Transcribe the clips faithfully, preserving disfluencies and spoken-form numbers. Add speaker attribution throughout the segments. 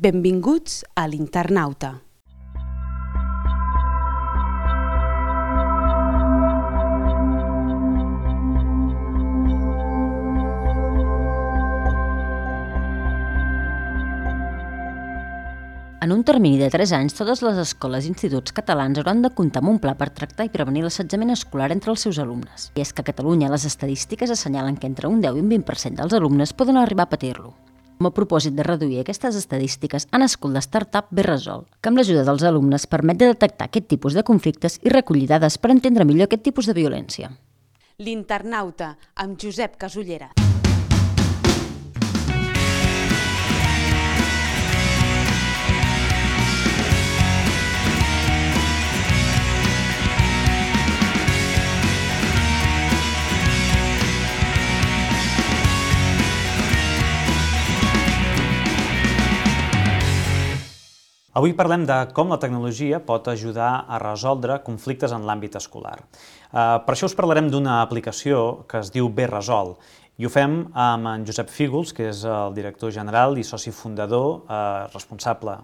Speaker 1: Benvinguts a l'Internauta.
Speaker 2: En un termini de tres anys, totes les escoles i instituts catalans hauran de comptar amb un pla per tractar i prevenir l'assetjament escolar entre els seus alumnes. I és que a Catalunya les estadístiques assenyalen que entre un deu i un vint per cent dels alumnes poden arribar a patir-lo. Com a propòsit de reduir aquestes estadístiques, ha nascut la startup Berresol, que amb l'ajuda dels alumnes permet de detectar aquest tipus de conflictes i recollir dades per entendre millor aquest tipus de violència.
Speaker 1: L'Internauta, amb Josep Casullera.
Speaker 3: Avui parlem de com la tecnologia pot ajudar a resoldre conflictes en l'àmbit escolar. Per això us parlarem d'una aplicació que es diu Berresol i ho fem amb en Josep Fígols, que és el director general i soci fundador responsable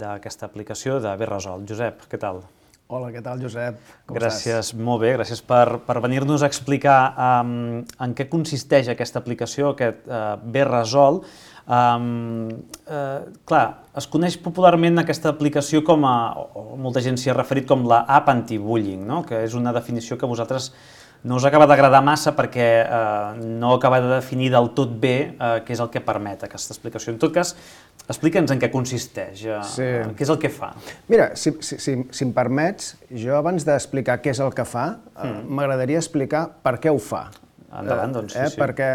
Speaker 3: d'aquesta aplicació de Berresol. Josep, què tal?
Speaker 4: Hola, què tal, Josep? Com
Speaker 3: gràcies, estàs? Molt bé, gràcies per, per venir-nos a explicar um, en què consisteix aquesta aplicació, aquest uh, Berresol. Um, uh, clar, es coneix popularment aquesta aplicació com a, o molta gent s'hi ha referit com la app anti-bullying, no? Que és una definició que a vosaltres no us acaba d'agradar massa perquè uh, no acaba de definir del tot bé uh, què és el que permet aquesta explicació. En tot cas, explica'ns en què consisteix, uh, sí. Què és el que fa.
Speaker 4: Mira, si, si, si, si em permets, jo abans d'explicar què és el que fa, mm. uh, m'agradaria explicar per què ho fa.
Speaker 3: Endavant, doncs, sí,
Speaker 4: eh,
Speaker 3: sí.
Speaker 4: Perquè,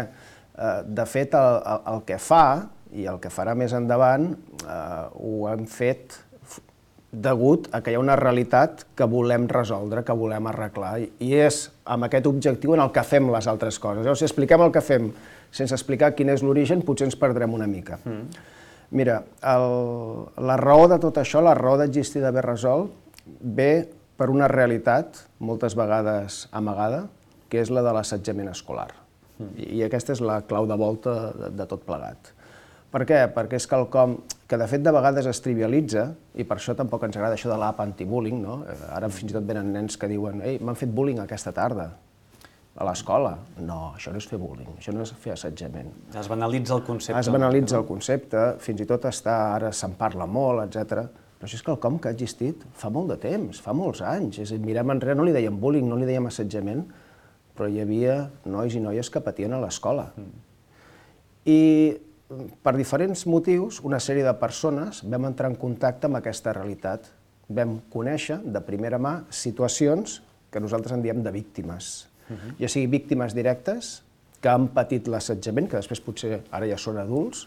Speaker 4: uh, de fet, el, el, el que fa, i el que farà més endavant, uh, ho hem fet degut a que hi ha una realitat que volem resoldre, que volem arreglar, i és amb aquest objectiu en el que fem les altres coses. Llavors, si expliquem el que fem sense explicar quin és l'origen, potser ens perdrem una mica. Mm. Mira, el, la raó de tot això, la raó d'existir de Berresol, ve per una realitat, moltes vegades amagada, que és la de l'assetjament escolar. Mm. I, I aquesta és la clau de volta de, de tot plegat. Per què? Perquè és quelcom que de fet de vegades es trivialitza, i per això tampoc ens agrada això de l'app anti-bullying, no? Ara fins i tot venen nens que diuen «Ei, m'han fet bullying aquesta tarda, a l'escola». No, això no és fer bullying, això no és fer assetjament.
Speaker 3: Es banalitza el concepte.
Speaker 4: Es banalitza el concepte, fins i tot està, ara se'n parla molt, etcètera. Però això és quelcom que ha existit fa molt de temps, fa molts anys. És a dir, mirem enrere, no li dèiem bullying, no li dèiem assetjament, però hi havia nois i noies que patien a l'escola. I per diferents motius, una sèrie de persones vam entrar en contacte amb aquesta realitat. Vam conèixer de primera mà situacions que nosaltres en diem de víctimes. Uh-huh. Ja sigui víctimes directes, que han patit l'assetjament, que després potser ara ja són adults,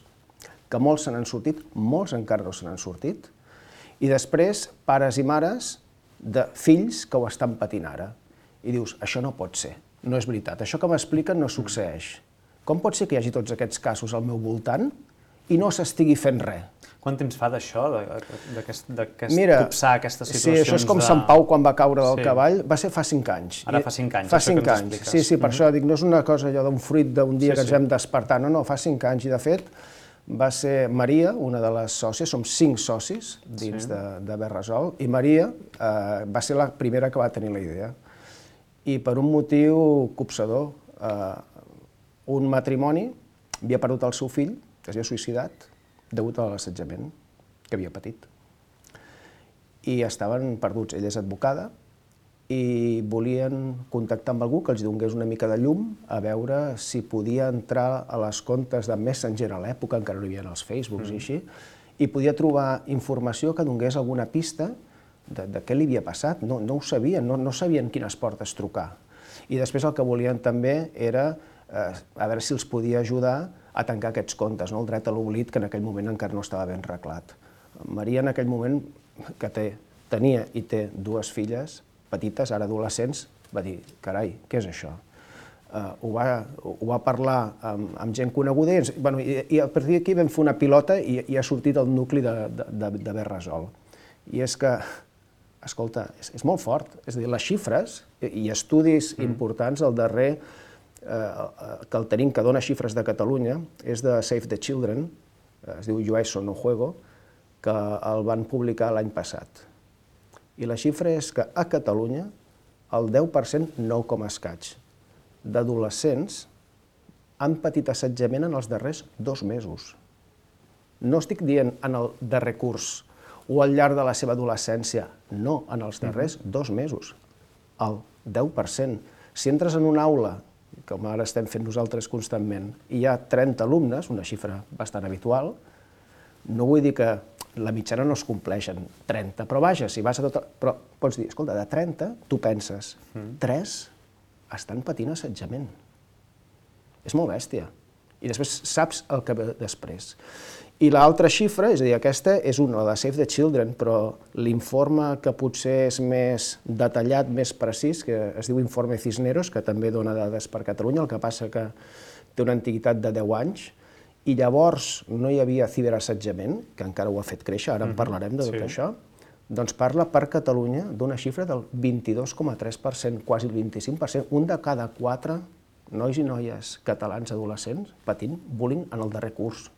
Speaker 4: que molts se n'han sortit, molts encara no se n'han sortit, i després pares i mares de fills que ho estan patint ara. I dius, això no pot ser, no és veritat, això que m'expliquen no succeeix. Com pot ser que hi hagi tots aquests casos al meu voltant i no s'estigui fent res?
Speaker 3: Quant temps fa d'això, d'aquest copsar aquestes situacions?
Speaker 4: Sí, això és com Sant Pau quan va caure del cavall, va ser fa cinc anys.
Speaker 3: Ara fa cinc anys,
Speaker 4: fa cinc anys. Sí, sí, per això dic, no és una cosa allò d'un fruit d'un dia que ens vam despertar, no, no, fa cinc anys, i de fet va ser Maria, una de les sòcies, som cinc socis dins de Berresol, i Maria va ser la primera que va tenir la idea. I per un motiu copsador, un matrimoni havia perdut el seu fill, que s'havia suïcidat, degut a l'assetjament que havia patit. I estaven perduts. Ella és advocada i volien contactar amb algú que els donés una mica de llum a veure si podia entrar a les comptes de Messenger a l'època, encara no hi havia els Facebooks i així, i podia trobar informació que donés alguna pista de, de què li havia passat. No, no ho sabien, no, no sabien quines portes trucar. I després el que volien també era a veure si els podia ajudar a tancar aquests comptes, el dret a l'oblit, que en aquell moment encara no estava ben reglat. Maria, en aquell moment, que tenia i té dues filles petites, ara adolescents, va dir, carai, què és això? Ho va parlar amb gent coneguda i a partir d'aquí vam fer una pilota i ha sortit el nucli de Berresol. I és que, escolta, és molt fort, és a dir, les xifres i estudis importants al darrer que el tenim, que dona xifres de Catalunya, és de Save the Children, es diu Yo a eso no juego, que el van publicar l'any passat. I la xifra és que a Catalunya el deu per cent, nou coma escaig, d'adolescents han patit assetjament en els darrers dos mesos. No estic dient en el darrer curs o al llarg de la seva adolescència, no, en els darrers dos mesos, el deu per cent. Si entres en una aula, com ara estem fent nosaltres constantment, i hi ha trenta alumnes, una xifra bastant habitual, no vull dir que la mitjana no es compleixen, trenta, però vaja, si vas a tota... Però pots dir, escolta, de trenta, tu penses, tres estan patint assetjament. És molt bèstia. I després saps el que ve després. I l'altra xifra, és a dir, aquesta és una, la de Save the Children, però l'informe que potser és més detallat, més precís, que es diu Informe Cisneros, que també dona dades per Catalunya, el que passa que té una antiguitat de deu anys, i llavors no hi havia ciberassetjament, que encara ho ha fet créixer, ara en parlarem de tot això, doncs parla per Catalunya d'una xifra del vint-i-dos coma tres per cent, quasi el vint-i-cinc per cent, un de cada quatre nois i noies catalans adolescents patint bullying en el darrer curs.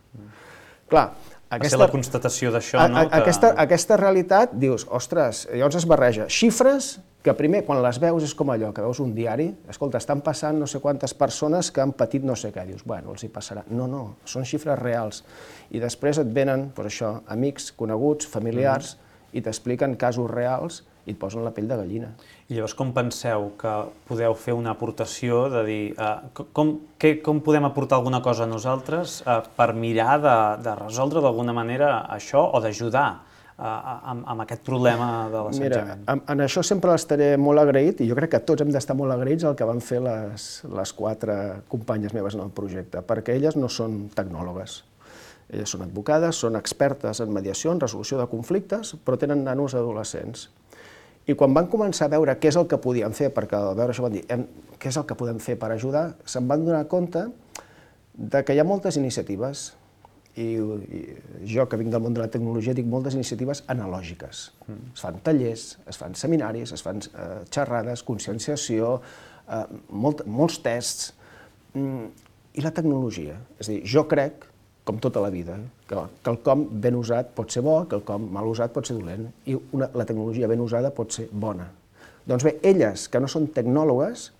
Speaker 4: Clar,
Speaker 3: aquesta... Va ser la constatació d'això, no?
Speaker 4: Aquesta, aquesta realitat, dius, ostres, llavors es barreja xifres que primer, quan les veus, és com allò, que veus un diari, escolta, estan passant no sé quantes persones que han patit no sé què, dius, bueno, els hi passarà. No, no, són xifres reals. I després et venen, doncs això, amics, coneguts, familiars, i t'expliquen casos reals i et posen la pell de gallina.
Speaker 3: I llavors com penseu que podeu fer una aportació de dir, uh, com, que, com podem aportar alguna cosa a nosaltres uh, per mirar de, de resoldre d'alguna manera això o d'ajudar amb, amb aquest problema de l'assetjament?
Speaker 4: Mira, en, en això sempre estaré molt agraït, i jo crec que tots hem d'estar molt agraïts al que van fer les, les quatre companyes meves en el projecte, perquè elles no són tecnòlogues. Elles són advocades, són expertes en mediació, en resolució de conflictes, però tenen nanos adolescents. I quan van començar a veure què és el que podien fer, perquè al veure això van dir, què és el que podem fer per ajudar, se'n van donar compte de que hi ha moltes iniciatives, i, i jo que vinc del món de la tecnologia dic moltes iniciatives analògiques. Mm. Es fan tallers, es fan seminaris, es fan eh, xerrades, conscienciació, eh, molt, molts tests, mm, i la tecnologia. És a dir, jo crec, com tota la vida, que quelcom ben usat pot ser bo, quelcom mal usat pot ser dolent, i una, la tecnologia ben usada pot ser bona. Doncs bé, elles, que no són tecnòlogues,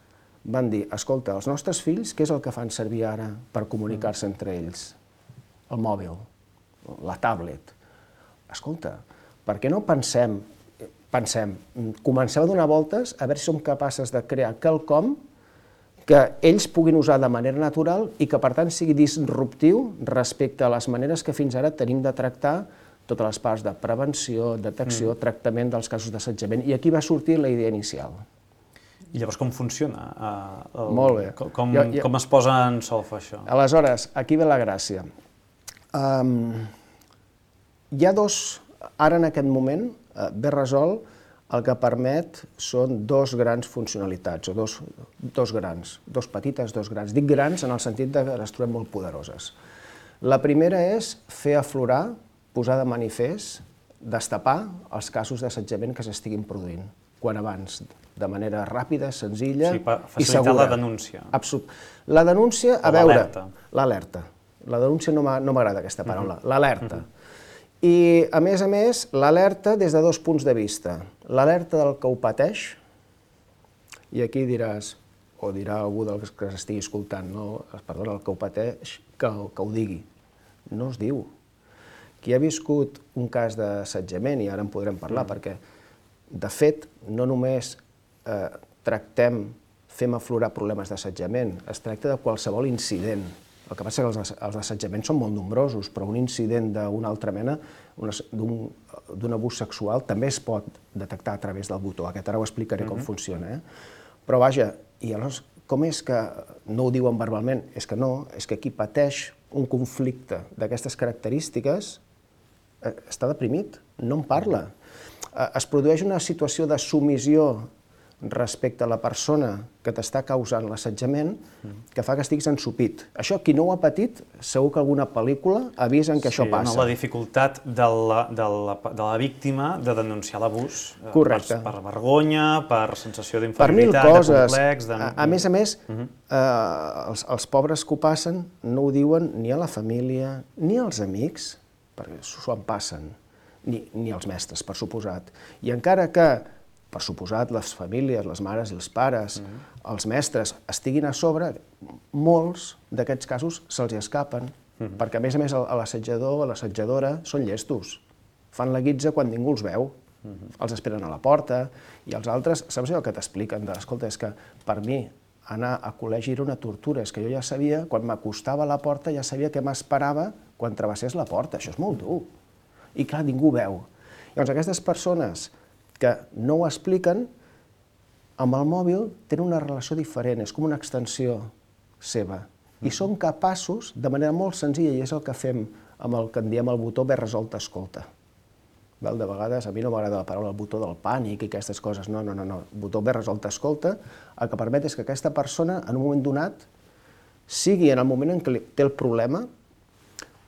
Speaker 4: van dir, escolta, els nostres fills, què és el que fan servir ara per comunicar-se entre ells? El mòbil, la tablet. Escolta, per què no pensem, pensem, comencem a donar voltes a veure si som capaces de crear quelcom que ells puguin usar de manera natural i que, per tant, sigui disruptiu respecte a les maneres que fins ara tenim de tractar totes les parts de prevenció, detecció, mm. tractament dels casos d'assetjament. I aquí va sortir la idea inicial.
Speaker 3: I llavors com funciona? Uh, el,
Speaker 4: Molt bé.
Speaker 3: Com,
Speaker 4: jo, jo...
Speaker 3: com es posa en solfa això?
Speaker 4: Aleshores, aquí ve la gràcia. Um, hi ha dos, ara en aquest moment, uh, Berresol el que permet són dos grans funcionalitats, o dos, dos grans, dos petites, dos grans. Dic grans en el sentit que les trobem molt poderoses. La primera és fer aflorar, posar de manifest, destapar els casos d'assetjament que s'estiguin produint, quan abans, de manera ràpida, senzilla i segura.
Speaker 3: Sí, facilitar la denúncia.
Speaker 4: Absolut. La denúncia, a veure... L'alerta. La denúncia no m'agrada aquesta paraula, uh-huh. l'alerta. Uh-huh. I, a més a més, l'alerta des de dos punts de vista. L'alerta del que ho pateix, i aquí diràs, o dirà algú dels que s'estigui escoltant, no, perdona, el que ho pateix, que, que ho digui. No es diu. Qui ha viscut un cas d'assetjament, i ara en podrem parlar, uh-huh. perquè, de fet, no només eh, tractem, fem aflorar problemes d'assetjament, es tracta de qualsevol incident. El que passa és que els, els assetjaments són molt nombrosos, però un incident d'una altra mena, d'un abús sexual, també es pot detectar a través del botó. Aquest ara ho explicaré com funciona. Eh? Però vaja, i llavors, com és que no ho diuen verbalment? És que no, és que qui pateix un conflicte d'aquestes característiques eh, està deprimit, no en parla. Eh, es produeix una situació de submissió respecte a la persona que t'està causant l'assetjament, que fa que estiguis ensupit. Això, qui no ho ha patit, segur que alguna pel·lícula avisa en què això passa.
Speaker 3: Sí, la dificultat de la, de, la, de la víctima de denunciar l'abús.
Speaker 4: Correcte.
Speaker 3: Per, per vergonya, per sensació d'inferioritat, de complex... De...
Speaker 4: A, a més a més, uh-huh. eh, els, els pobres que ho passen no ho diuen ni a la família ni als amics, perquè s'ho en passen. ni, ni els mestres, per suposat. I encara que, per suposat, les famílies, les mares i els pares, mm. els mestres, estiguin a sobre, molts d'aquests casos se'ls escapen, mm. perquè a més a més l'assetjador o l'assetjadora són llestos, fan la guitza quan ningú els veu, mm. els esperen a la porta, i els altres, saps allò que t'expliquen? Escolta, és que per mi anar a col·legi era una tortura, és que jo ja sabia, quan m'acostava a la porta, ja sabia què m'esperava quan travessés la porta, això és molt dur. I clar, ningú veu. Llavors, aquestes persones que no ho expliquen, amb el mòbil tenen una relació diferent, és com una extensió seva. I són capaços, de manera molt senzilla, i és el que fem amb el que en diem el botó bé resolt escolta. De vegades, a mi no m'agrada la paraula el botó del pànic i aquestes coses, no, no, no, no. El botó bé resolt escolta, el que permet és que aquesta persona, en un moment donat, sigui en el moment en què té el problema,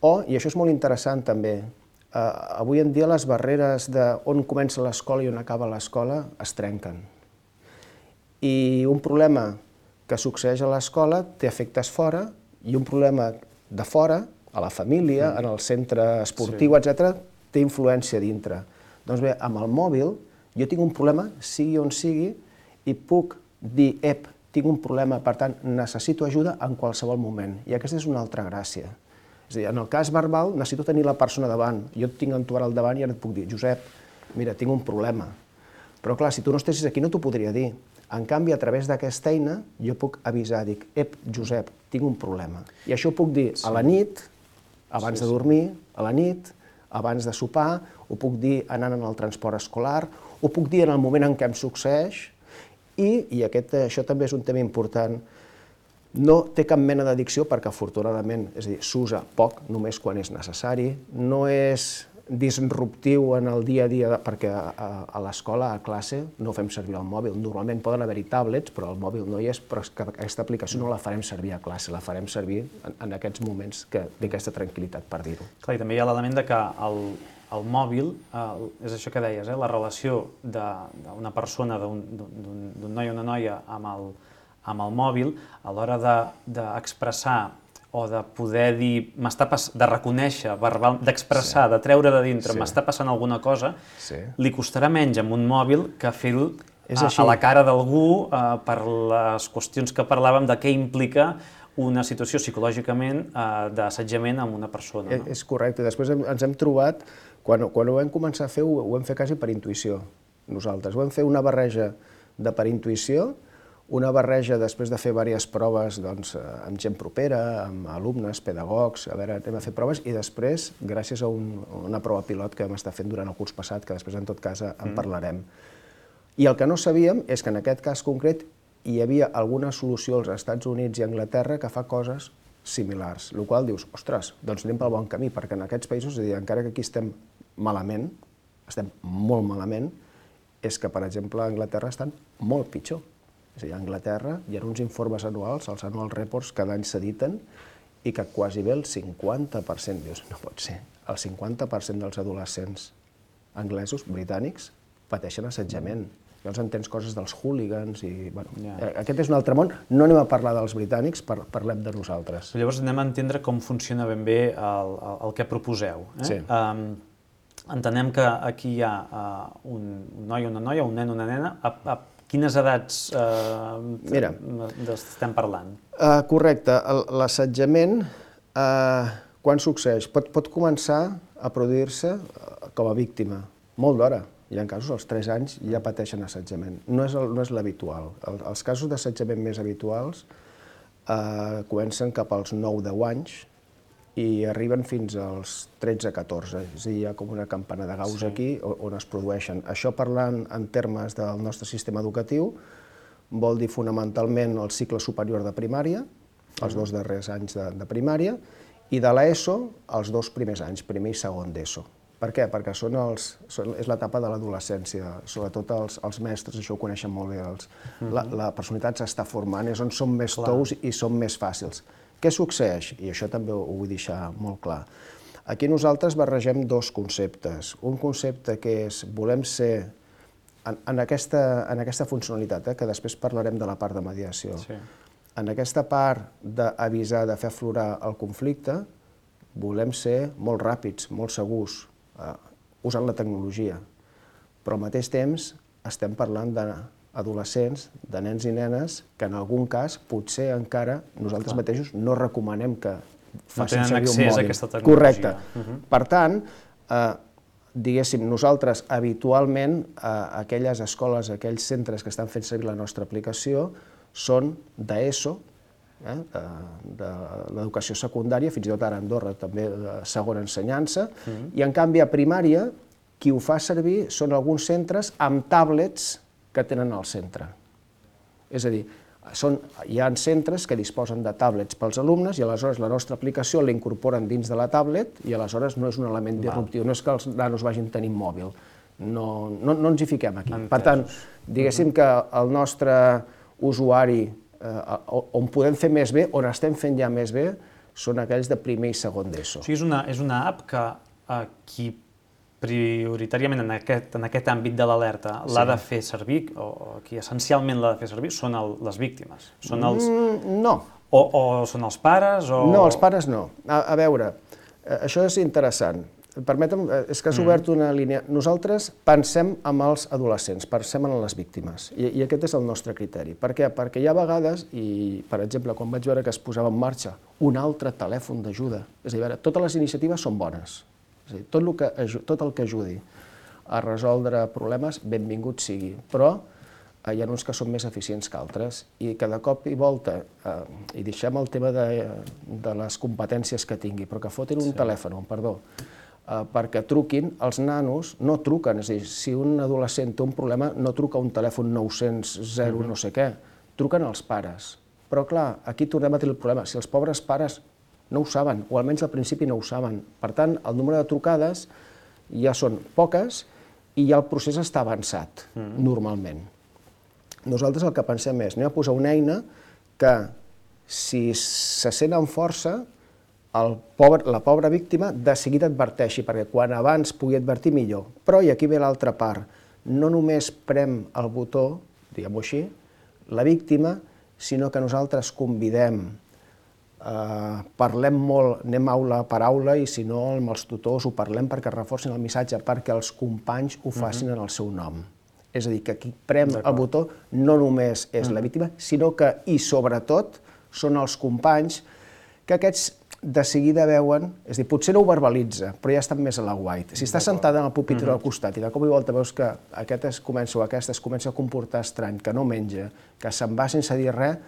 Speaker 4: o, i això és molt interessant també, eh, avui en dia les barreres d'on comença l'escola i on acaba l'escola es trenquen. I un problema que succeeix a l'escola té efectes fora, i un problema de fora, a la família, en el centre esportiu, etcètera, té influència dintre. Doncs bé, amb el mòbil jo tinc un problema, sigui on sigui, i puc dir, ep, tinc un problema, per tant, necessito ajuda en qualsevol moment. I aquesta és una altra gràcia. És a dir, en el cas verbal necessito tenir la persona davant. Jo et tinc en tu ara al davant i ara et puc dir, Josep, mira, tinc un problema. Però clar, si tu no estessis aquí no t'ho podria dir. En canvi, a través d'aquesta eina, jo puc avisar, dic, ep, Josep, tinc un problema. I això ho puc dir a la nit, abans de dormir, a la nit, abans de sopar, ho puc dir anant en el transport escolar, ho puc dir en el moment en què em succeeix, i, i aquest, això també és un tema important, no té cap mena d'addicció perquè afortunadament, és a dir, s'usa poc, només quan és necessari, no és disruptiu en el dia a dia, perquè a, a, a l'escola, a classe, no fem servir el mòbil. Normalment poden haver-hi tablets, però el mòbil no hi és, però és que aquesta aplicació no la farem servir a classe, la farem servir en, en aquests moments que té aquesta tranquil·litat, per dir-ho.
Speaker 3: Clar, i també hi ha l'element de que el, el mòbil, eh, és això que deies, eh, la relació d'una persona, d'un noi o una noia amb el, amb el mòbil, a l'hora d'expressar de, o de poder dir, m'està passant, de reconèixer, d'expressar, sí. de treure de dintre, sí. m'està passant alguna cosa, sí. li costarà menys amb un mòbil que fer-ho a, a la cara d'algú eh, per les qüestions que parlàvem de què implica una situació psicològicament eh, d'assetjament amb una persona. No?
Speaker 4: És correcte. Després ens hem trobat, quan, quan ho vam començar a fer, ho, ho vam fer quasi per intuïció, nosaltres. Ho vam fer una barreja de per intuïció, una barreja després de fer diverses proves doncs, amb gent propera, amb alumnes, pedagogs, a veure, anem a fer proves, i després, gràcies a un, una prova pilot que vam estar fent durant el curs passat, que després en tot cas en parlarem. I el que no sabíem és que en aquest cas concret hi havia alguna solució als Estats Units i Anglaterra que fa coses similars, el qual dius, ostres, doncs anem pel bon camí, perquè en aquests països, és a dir, encara que aquí estem malament, estem molt malament, és que, per exemple, a Anglaterra estan molt pitjor. És a dir, a Anglaterra hi ha uns informes anuals, els annual reports, cada any s'editen, i que quasi bé el cinquanta per cent, dius, no pot ser, el cinquanta per cent dels adolescents anglesos, britànics, pateixen assetjament. Llavors entens coses dels hooligans i... Bueno, yeah. Aquest és un altre món. No anem a parlar dels britànics, par parlem de nosaltres.
Speaker 3: Llavors anem a entendre com funciona ben bé el, el, el que proposeu. Eh? Sí. Um, entenem que aquí hi ha uh, un noi o una noia, un nen o una nena. A, a quines edats eh, estem parlant?
Speaker 4: Uh, correcte. L'assetjament, uh, quan succeeix? Pot, pot començar a produir-se com a víctima, molt d'hora. Hi ha casos, als tres anys ja pateixen assetjament. No és, el, no és l'habitual. El, els casos d'assetjament més habituals eh, comencen cap als nou deu anys i arriben fins als tretze catorze. És a dir, hi ha com una campana de Gauss sí. aquí on es produeixen. Això, parlant en termes del nostre sistema educatiu, vol dir fonamentalment el cicle superior de primària, els dos darrers anys de, de primària, i de l'ESO els dos primers anys, primer i segon d'ESO. Per què? Perquè són els, són, és l'etapa de l'adolescència, sobretot els, els mestres, això ho coneixen molt bé, els, mm-hmm. la, la personalitat s'està formant, és on som més clar. Tous i són més fàcils. Què succeeix? I això també ho vull deixar molt clar. Aquí nosaltres barregem dos conceptes. Un concepte que és, volem ser, en, en, aquesta, en aquesta funcionalitat, eh, que després parlarem de la part de mediació, sí. en aquesta part d'avisar, de fer aflorar el conflicte, volem ser molt ràpids, molt segurs, usant la tecnologia, però al mateix temps estem parlant d'adolescents, de nens i nenes, que en algun cas potser encara nosaltres mateixos no recomanem que facin servir un mòbil. No tenen accés a aquesta tecnologia. Correcte. Per tant, diguéssim, nosaltres habitualment, aquelles escoles, aquells centres que estan fent servir la nostra aplicació són d'ESO, de l'educació secundària, fins i tot ara a Andorra també de segona ensenyança, i en canvi a primària qui ho fa servir són alguns centres amb tablets que tenen al centre. És a dir, hi ha centres que disposen de tablets pels alumnes i aleshores la nostra aplicació la incorporen dins de la tablet i aleshores no és un element disruptiu, no és que els nanos vagin tenint mòbil, no ens hi fiquem aquí. Per tant, diguéssim que el nostre usuari on podem fer més bé, on estem fent ja més bé, són aquells de primer i segon d'ESO.
Speaker 3: O sigui, és una app que qui prioritàriament en aquest àmbit de l'alerta l'ha de fer servir, o qui essencialment l'ha de fer servir, són les víctimes?
Speaker 4: No.
Speaker 3: O són els pares?
Speaker 4: No, els pares no. A veure, això és interessant. Permetem, és que has obert una línia. Nosaltres pensem en els adolescents, pensem en les víctimes, i aquest és el nostre criteri. Per què? Perquè hi ha vegades, i per exemple, quan vaig veure que es posava en marxa un altre telèfon d'ajuda, és a dir, totes les iniciatives són bones, és a dir, tot el que ajudi a resoldre problemes, benvingut sigui, però hi ha uns que són més eficients que altres, i cada cop i volta, i deixem el tema de les competències que tingui, però que fotin un telèfon, perdó, perquè truquin, els nanos no truquen, és a dir, si un adolescent té un problema no truca un telèfon nou-cents zero no sé què, truquen els pares. Però clar, aquí tornem a tenir el problema, si els pobres pares no ho saben, o almenys al principi no ho saben, per tant, el número de trucades ja són poques i ja el procés està avançat, normalment. Nosaltres el que pensem és, anem a posar una eina que, si se sent amb força, la pobra víctima de seguida adverteixi, perquè quan abans pugui advertir millor. Però, i aquí ve l'altra part, no només prem el botó, diguem-ho així, la víctima, sinó que nosaltres convidem, parlem molt, anem aula per aula, i si no amb els tutors ho parlem perquè reforcin el missatge, perquè els companys ho facin en el seu nom. És a dir, que qui prem el botó no només és la víctima, sinó que, i sobretot, són els companys que aquests de seguida veuen, és a dir, potser no ho verbalitza, però ja estan més a l'aguait. Si està sentada en el pupitre al costat i de cop i volta veus que aquest es comença o aquesta es comença a comportar estrany, que no menja, que se'n va sense dir res,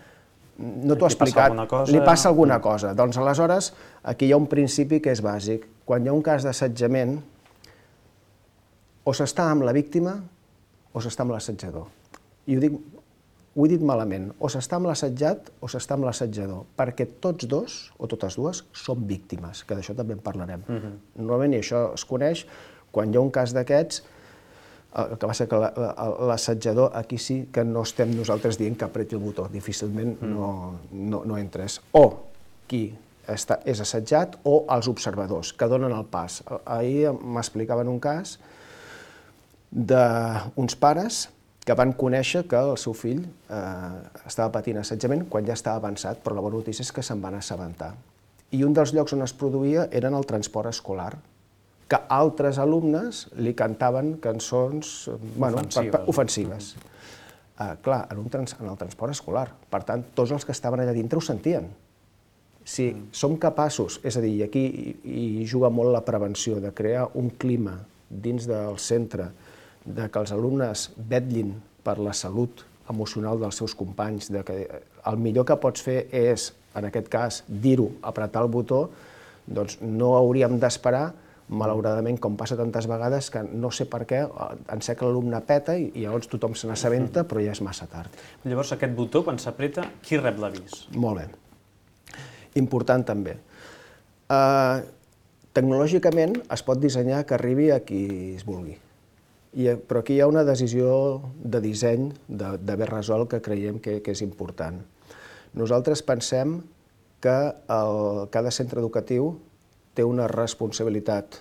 Speaker 4: no t'ho ha explicat, li passa alguna cosa. Doncs aleshores, aquí hi ha un principi que és bàsic. Quan hi ha un cas d'assetjament, o s'està amb la víctima o s'està amb l'assetjador. I ho dic, ho he dit malament, o s'està amb l'assetjat o s'està amb l'assetjador, perquè tots dos, o totes dues, són víctimes, que d'això també en parlarem. Normalment, i això es coneix, quan hi ha un cas d'aquests, el que passa que l'assetjador, aquí sí que no estem nosaltres dient que apreti el botó, difícilment no entres. O qui és assetjat o els observadors, que donen el pas. Ahir m'explicaven un cas d'uns pares que van conèixer que el seu fill estava patint assetjament quan ja estava avançat, però la bona notícia és que se'n van assabentar. I un dels llocs on es produïa eren el transport escolar, que altres alumnes li cantaven cançons ofensives. Clar, en el transport escolar. Per tant, tots els que estaven allà dintre ho sentien. Si som capaços, és a dir, i aquí hi juga molt la prevenció, de crear un clima dins del centre, de que els alumnes vetllin per la salut emocional dels seus companys, de que el millor que pots fer és, en aquest cas, dir-ho, apretar el botó, doncs no hauríem d'esperar, malauradament, com passa tantes vegades, que no sé per què, en sé que l'alumne peta i llavors tothom se n'assabenta, però ja és massa tard.
Speaker 3: Llavors, aquest botó, quan s'apreta, qui rep l'avís?
Speaker 4: Molt bé. Important també. Tecnològicament es pot dissenyar que arribi a qui es vulgui. Però aquí hi ha una decisió de disseny d'haver resolt que creiem que és important. Nosaltres pensem que cada centre educatiu té una responsabilitat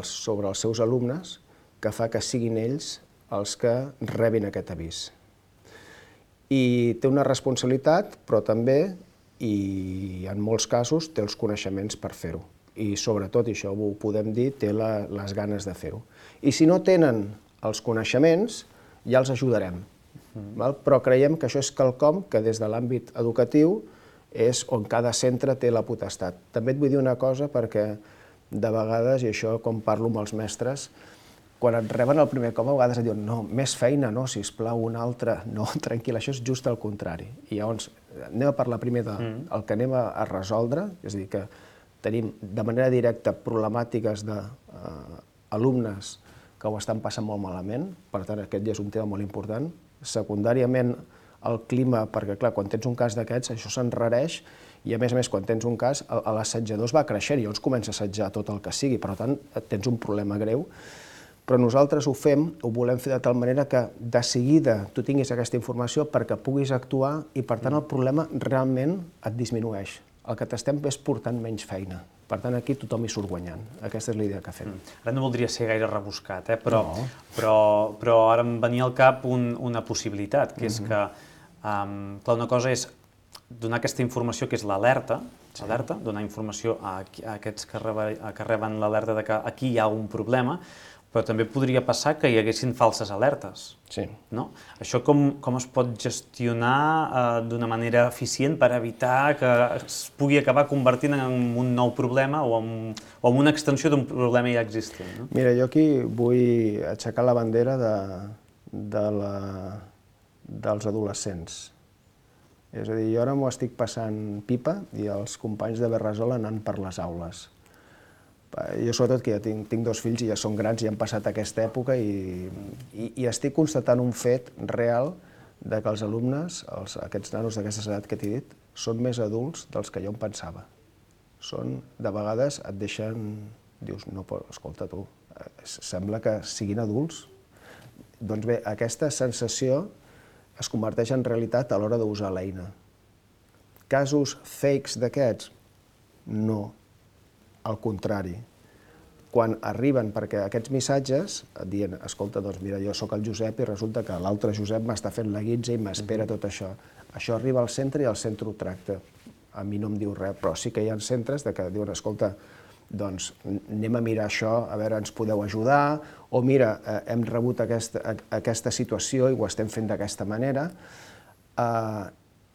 Speaker 4: sobre els seus alumnes que fa que siguin ells els que rebin aquest avís. I té una responsabilitat, però també, i en molts casos, té els coneixements per fer-ho. i sobretot, i això ho podem dir, té les ganes de fer-ho. I si no tenen els coneixements, ja els ajudarem. Però creiem que això és quelcom que des de l'àmbit educatiu és on cada centre té la potestat. També et vull dir una cosa perquè de vegades, i això com parlo amb els mestres, quan et reben el primer cop a vegades et diuen no, més feina, no, sisplau, una altra, no, tranquil, això és just el contrari. I llavors anem a parlar primer del que anem a resoldre, és a dir, que tenim de manera directa problemàtiques d'alumnes que ho estan passant molt malament, per tant aquest ja és un tema molt important. Secundàriament el clima, perquè clar, quan tens un cas d'aquests això s'enrareix i a més a més quan tens un cas l'assetjador es va creixent i llavors comença a assetjar tot el que sigui, per tant tens un problema greu, però nosaltres ho fem, ho volem fer de tal manera que de seguida tu tinguis aquesta informació perquè puguis actuar i per tant el problema realment et disminueix. El que t'estem és portant menys feina. Per tant, aquí tothom hi surt guanyant. Aquesta és la idea que fem.
Speaker 3: Ara no voldria ser gaire rebuscat, però ara em venia al cap una possibilitat, que és que, clar, una cosa és donar aquesta informació que és l'alerta, donar informació a aquests que reben l'alerta de que aquí hi ha un problema, però també podria passar que hi haguessin falses alertes.
Speaker 4: Sí.
Speaker 3: Això com es pot gestionar d'una manera eficient per evitar que es pugui acabar convertint en un nou problema o en una extensió d'un problema ja existent?
Speaker 4: Mira, jo aquí vull aixecar la bandera dels adolescents. És a dir, jo ara m'ho estic passant pipa i els companys de Berresol anant per les aules. Jo sobretot que ja tinc dos fills i ja són grans i han passat aquesta època i estic constatant un fet real que els alumnes, aquests nanos d'aquesta edat que t'he dit, són més adults dels que jo em pensava. Són, de vegades et deixen, dius, no, escolta tu, sembla que siguin adults. Doncs bé, aquesta sensació es converteix en realitat a l'hora d'usar l'eina. Casos fakes d'aquests? No. Al contrari, quan arriben, perquè aquests missatges et diuen, escolta, doncs mira, jo sóc el Josep i resulta que l'altre Josep m'està fent la guitza i m'espera tot això. Això arriba al centre i el centre ho tracta. A mi no em diu res, però sí que hi ha centres que diuen, escolta, doncs anem a mirar això, a veure, ens podeu ajudar, o mira, hem rebut aquesta situació i ho estem fent d'aquesta manera,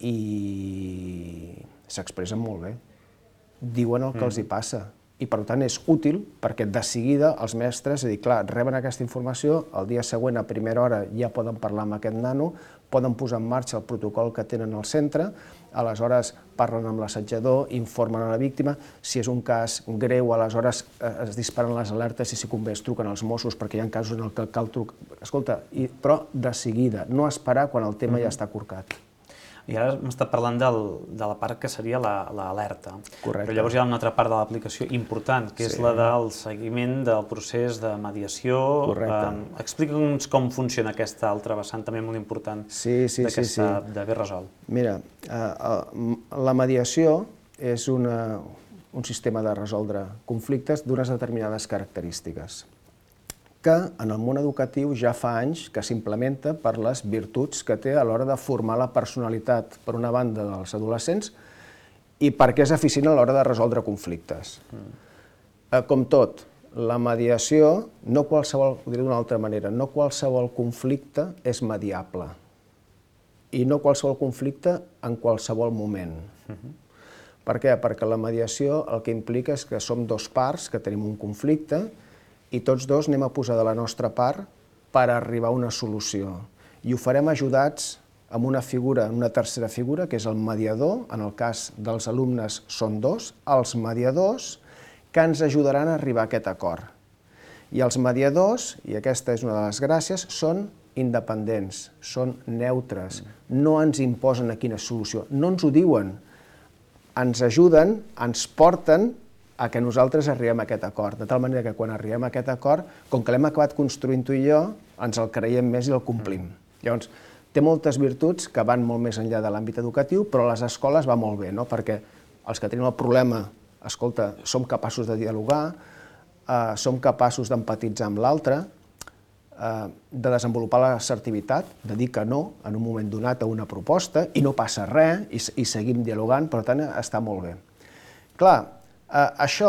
Speaker 4: i s'expressen molt bé. Diuen el que els hi passa i per tant és útil perquè de seguida els mestres, és a dir, clar, reben aquesta informació, el dia següent a primera hora ja poden parlar amb aquest nano, poden posar en marxa el protocol que tenen al centre, aleshores parlen amb l'assetjador, informen a la víctima, si és un cas greu, aleshores es disparen les alertes i si convé es truquen als Mossos perquè hi ha casos en què cal trucar, escolta, però de seguida, no esperar quan el tema ja està corcat.
Speaker 3: I ara m'està parlant de la part que seria l'alerta.
Speaker 4: Correcte.
Speaker 3: Però llavors hi ha una altra part de l'aplicació important, que és la del seguiment del procés de mediació.
Speaker 4: Correcte.
Speaker 3: Explica'ns com funciona aquesta altra vessant també molt important de Berresol.
Speaker 4: Mira, la mediació és un sistema de resoldre conflictes d'unes determinades característiques que en el món educatiu ja fa anys que s'implementa per les virtuts que té a l'hora de formar la personalitat, per una banda, dels adolescents i perquè és eficient a l'hora de resoldre conflictes. Com tot, la mediació, no qualsevol, ho diré d'una altra manera, no qualsevol conflicte és mediable i no qualsevol conflicte en qualsevol moment. Per què? Perquè la mediació el que implica és que som dos parts que tenim un conflicte i tots dos anem a posar de la nostra part per arribar a una solució. I ho farem ajudats amb una figura, una tercera figura, que és el mediador, en el cas dels alumnes són dos, els mediadors que ens ajudaran a arribar a aquest acord. I els mediadors, i aquesta és una de les gràcies, són independents, són neutres, no ens imposen a quina solució, no ens ho diuen, ens ajuden, ens porten a que nosaltres arribem a aquest acord, de tal manera que quan arribem a aquest acord, com que l'hem acabat construint tu i jo, ens el creiem més i el complim. Llavors, té moltes virtuts que van molt més enllà de l'àmbit educatiu, però a les escoles va molt bé, perquè els que tenim el problema, escolta, som capaços de dialogar, som capaços d'empatitzar amb l'altre, de desenvolupar l'assertivitat, de dir que no en un moment donat a una proposta, i no passa res, i seguim dialogant, per tant, està molt bé. Clar, Això,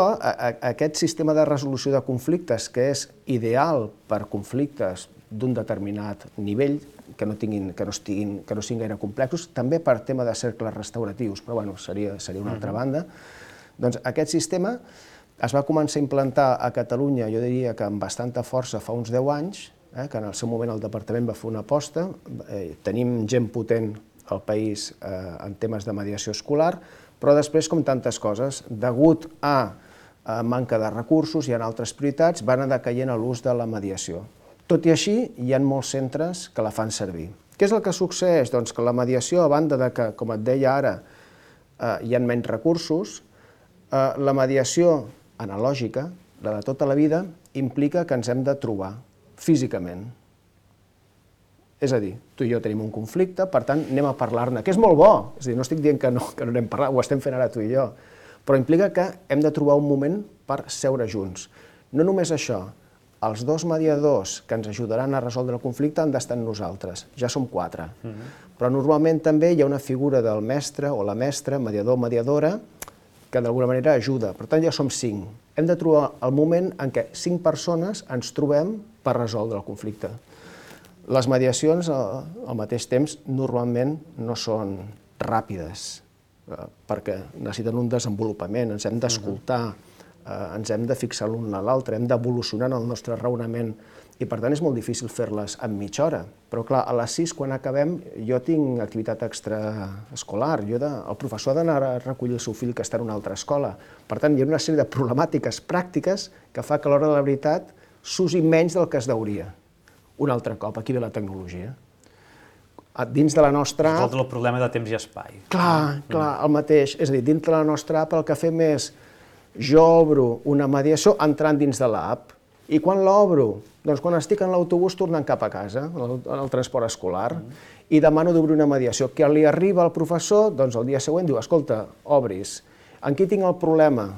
Speaker 4: aquest sistema de resolució de conflictes, que és ideal per conflictes d'un determinat nivell, que no tinguin, que no estiguin, que no siguin gaire complexos, també per tema de cercles restauratius, però bueno, seria, seria una altra banda. Doncs aquest sistema es va començar a implantar a Catalunya, jo diria que amb bastanta força fa uns deu anys, eh, que en el seu moment el departament va fer una aposta, eh, tenim gent potent al país eh, en temes de mediació escolar, però després, com tantes coses, degut a, a manca de recursos i en altres prioritats, van anar decaient a l'ús de la mediació. Tot i així, hi ha molts centres que la fan servir. Què és el que succeeix? Doncs que la mediació, a banda de que, com et deia ara, eh, hi ha menys recursos, eh, la mediació analògica, la de tota la vida, implica que ens hem de trobar físicament. És a dir, tu i jo tenim un conflicte, per tant, anem a parlar-ne, que és molt bo, és a dir, no estic dient que no, que no anem a parlar, ho estem fent ara tu i jo, però implica que hem de trobar un moment per seure junts. No només això, els dos mediadors que ens ajudaran a resoldre el conflicte han d'estar amb nosaltres, ja som quatre, però normalment també hi ha una figura del mestre o la mestra, mediador o mediadora, que d'alguna manera ajuda, per tant ja som cinc. Hem de trobar el moment en què cinc persones ens trobem per resoldre el conflicte. Les mediacions, al mateix temps, normalment no són ràpides, perquè necessiten un desenvolupament, ens hem d'escoltar, ens hem de fixar l'un a l'altre, hem d'evolucionar en el nostre raonament, i per tant és molt difícil fer-les en mitja hora. Però clar, a les sis, quan acabem, jo tinc activitat extraescolar, jo de, el professor ha d'anar a recollir el seu fill que està en una altra escola. Per tant, hi ha una sèrie de problemàtiques pràctiques que fa que a l'hora de la veritat s'usi menys del que es deuria. Un altre cop, aquí ve la tecnologia. Dins de la nostra app...
Speaker 3: Resoldre el problema de temps i espai.
Speaker 4: Clar, clar, el mateix. És a dir, dins de la nostra app el que fem és jo obro una mediació entrant dins de l'app. I quan l'obro? Doncs quan estic en l'autobús tornant cap a casa, en el transport escolar, i demano d'obrir una mediació. Que li arriba al professor, doncs el dia següent diu, escolta, obris. En qui tinc el problema?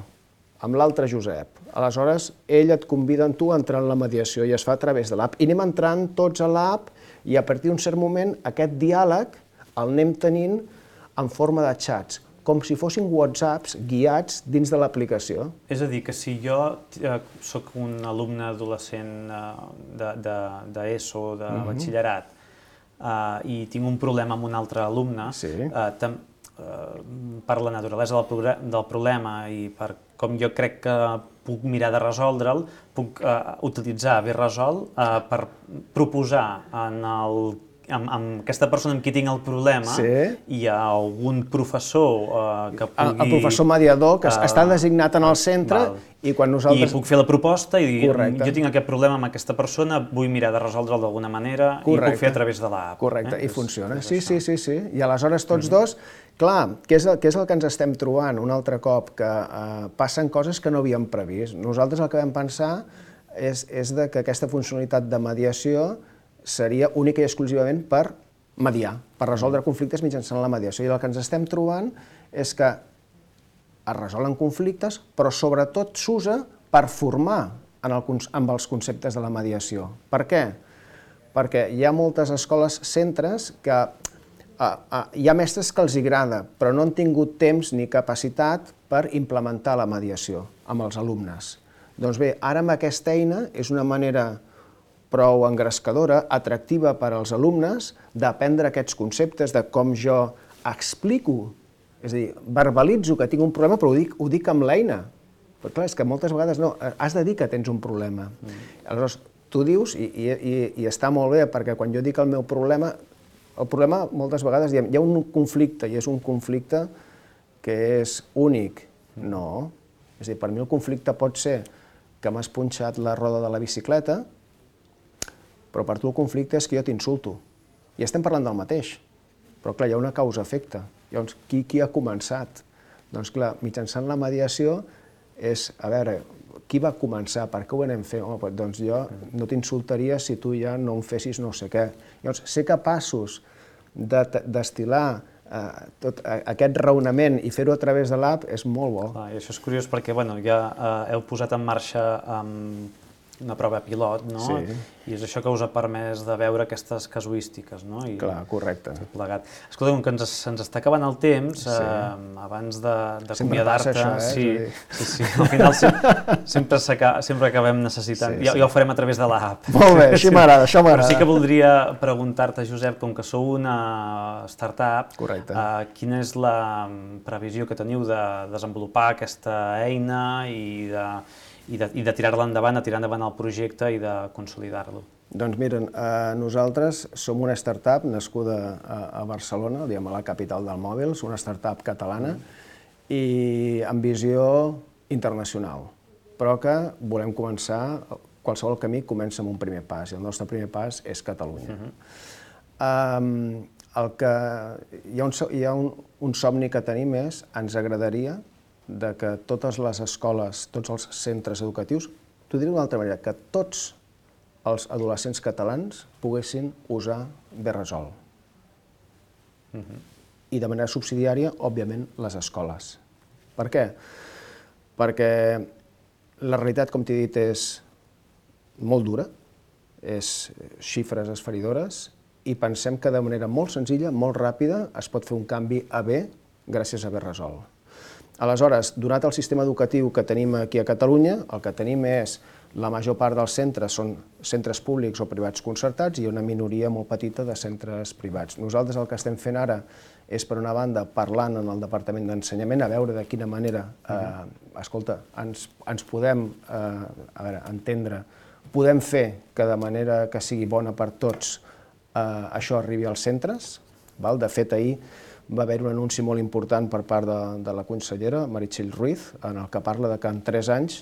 Speaker 4: Amb l'altre Josep. Aleshores, ell et convida a tu a entrar en la mediació i es fa a través de l'app. I anem entrant tots a l'app i a partir d'un cert moment aquest diàleg el anem tenint en forma de xats, com si fossin whatsapps guiats dins de l'aplicació.
Speaker 3: És a dir, que si jo eh, soc un alumne adolescent eh, d'ESO, de, de, de batxillerat, eh, i tinc un problema amb un altre alumne,
Speaker 4: Sí.
Speaker 3: eh, tam, eh, per la naturalesa del, del problema i per com jo crec que puc mirar de resoldre'l, puc eh, utilitzar Bé Resol eh, per proposar en el, amb, amb aquesta persona amb qui tinc el problema,
Speaker 4: Sí.
Speaker 3: hi ha algun professor eh, que pugui...
Speaker 4: El, el professor mediador, que
Speaker 3: eh,
Speaker 4: està designat en el centre,
Speaker 3: val.
Speaker 4: i quan nosaltres...
Speaker 3: I puc fer la proposta i dir,
Speaker 4: Correcte.
Speaker 3: jo tinc aquest problema amb aquesta persona, vull mirar de resoldre'l d'alguna manera,
Speaker 4: Correcte.
Speaker 3: i puc fer a través de l'app.
Speaker 4: Correcte,
Speaker 3: eh?
Speaker 4: i funciona.
Speaker 3: És,
Speaker 4: Sí,
Speaker 3: és
Speaker 4: sí,
Speaker 3: això.
Speaker 4: sí, sí. I aleshores tots dos, clar, què és, el, què és el que ens estem trobant un altre cop? Que eh, passen coses que no havíem previst. Nosaltres el que vam pensar és, és de que aquesta funcionalitat de mediació seria única i exclusivament per mediar, per resoldre conflictes mitjançant la mediació. I el que ens estem trobant és que es resolen conflictes, però sobretot s'usa per formar en el, amb els conceptes de la mediació. Per què? Perquè hi ha moltes escoles, centres, que uh, uh, hi ha mestres que els agrada, però no han tingut temps ni capacitat per implementar la mediació amb els alumnes. Doncs bé, ara amb aquesta eina és una manera prou engrescadora, atractiva per als alumnes, d'aprendre aquests conceptes de com jo explico, és a dir, verbalitzo que tinc un problema, però ho dic, ho dic amb l'eina. Però clar, és que moltes vegades no, has de dir que tens un problema. Mm. Aleshores, tu dius, i, i, i està molt bé, perquè quan jo dic el meu problema, el problema moltes vegades diem, hi ha un conflicte, i és un conflicte que és únic. No. És a dir, per mi el conflicte pot ser que m'has punxat la roda de la bicicleta, però per tu el conflicte és que jo t'insulto. I estem parlant del mateix. Però clar, hi ha una causa-efecte. Llavors, qui, qui ha començat? Doncs clar, mitjançant la mediació és, a veure, qui va començar? Per què ho anem fent? Home, doncs jo no t'insultaria si tu ja no em fessis no sé què. Llavors, ser capaços de destilar eh, tot aquest raonament i fer-ho a través de l'app és molt bo.
Speaker 3: Clar, i això és curiós perquè bueno, ja eh, heu posat en marxa um, una prova pilot, no?
Speaker 4: Sí.
Speaker 3: I és això que us ha permès de veure aquestes casuístiques, no? I,
Speaker 4: Clar, correcte.
Speaker 3: plegat. Escolta, com que ens, se'ns està acabant el temps,
Speaker 4: Sí.
Speaker 3: eh, abans de, de
Speaker 4: Sempre passa
Speaker 3: acomiadar-te...
Speaker 4: això, eh?
Speaker 3: Sí, sí, sí, al final sempre, sempre, s'aca- sempre acabem necessitant...
Speaker 4: Sí,
Speaker 3: ja,
Speaker 4: sí.
Speaker 3: ja ho farem a través de l'app.
Speaker 4: Molt bé, així m'agrada, això
Speaker 3: Però
Speaker 4: m'agrada.
Speaker 3: sí que voldria preguntar-te, Josep, com que sou una startup,
Speaker 4: Correcte.
Speaker 3: eh, quina és la previsió que teniu de desenvolupar aquesta eina i de, i de, i de tirar-la endavant, de tirar endavant el projecte i de consolidar-lo?
Speaker 4: Doncs miren, eh, nosaltres som una startup nascuda a, a Barcelona, diguem, a la capital del mòbil, som una startup catalana i amb visió internacional, però que volem començar, qualsevol camí comença amb un primer pas, i el nostre primer pas és Catalunya. Um, el que, hi ha, un, so- hi ha un, un somni que tenim és, ens agradaria de que totes les escoles, tots els centres educatius, t'ho diré d'una altra manera, que tots els adolescents catalans poguessin usar Berresol. I de manera subsidiària, òbviament, les escoles. Per què? Perquè la realitat, com t'he dit, és molt dura, és xifres esfereïdores, i pensem que de manera molt senzilla, molt ràpida, es pot fer un canvi a bé gràcies a Berresol. Aleshores, donat el sistema educatiu que tenim aquí a Catalunya, el que tenim és la major part dels centres són centres públics o privats concertats i una minoria molt petita de centres privats. Nosaltres el que estem fent ara és, per una banda, parlant en el Departament d'Ensenyament, a veure de quina manera, eh, escolta, ens, ens podem eh, a veure, entendre, podem fer que de manera que sigui bona per tots eh, això arribi als centres. Val? De fet, ahir va haver un anunci molt important per part de, de la consellera Meritxell Ruiz, en el que parla de que en tres anys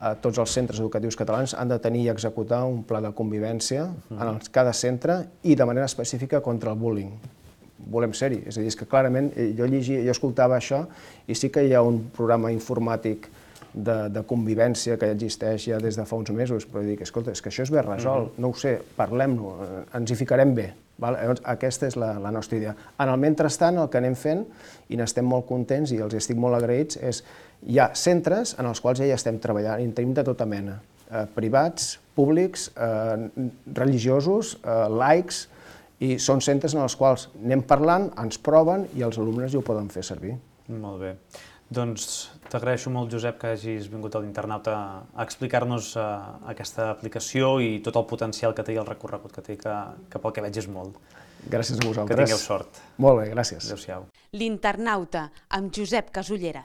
Speaker 4: eh, tots els centres educatius catalans han de tenir i executar un pla de convivència en els, cada centre i de manera específica contra el bullying. Volem ser-hi, és a dir, és que clarament jo llegia, jo escoltava això i sí que hi ha un programa informàtic de, de convivència que existeix ja des de fa uns mesos, però dic, escolta, és que això és bé resolt, no ho sé, parlem-ho, ens hi ficarem bé. Val? Llavors, aquesta és la, la nostra idea. En el mentrestant, el que anem fent, i n'estem molt contents i els estic molt agraïts, és hi ha centres en els quals ja hi estem treballant, i en tenim de tota mena, eh, privats, públics, eh, religiosos, eh, laics, i són centres en els quals anem parlant, ens proven i els alumnes ja ho poden fer servir.
Speaker 3: Molt bé. Doncs t'agraeixo molt, Josep, que hagis vingut a l'Internauta a explicar-nos uh, aquesta aplicació i tot el potencial que té i el recorregut que té, que, que pel que veig és molt.
Speaker 4: Gràcies a vosaltres.
Speaker 3: Que tingueu sort.
Speaker 4: Molt bé, gràcies.
Speaker 3: Adéu-siau.
Speaker 1: L'Internauta, amb Josep Casullera.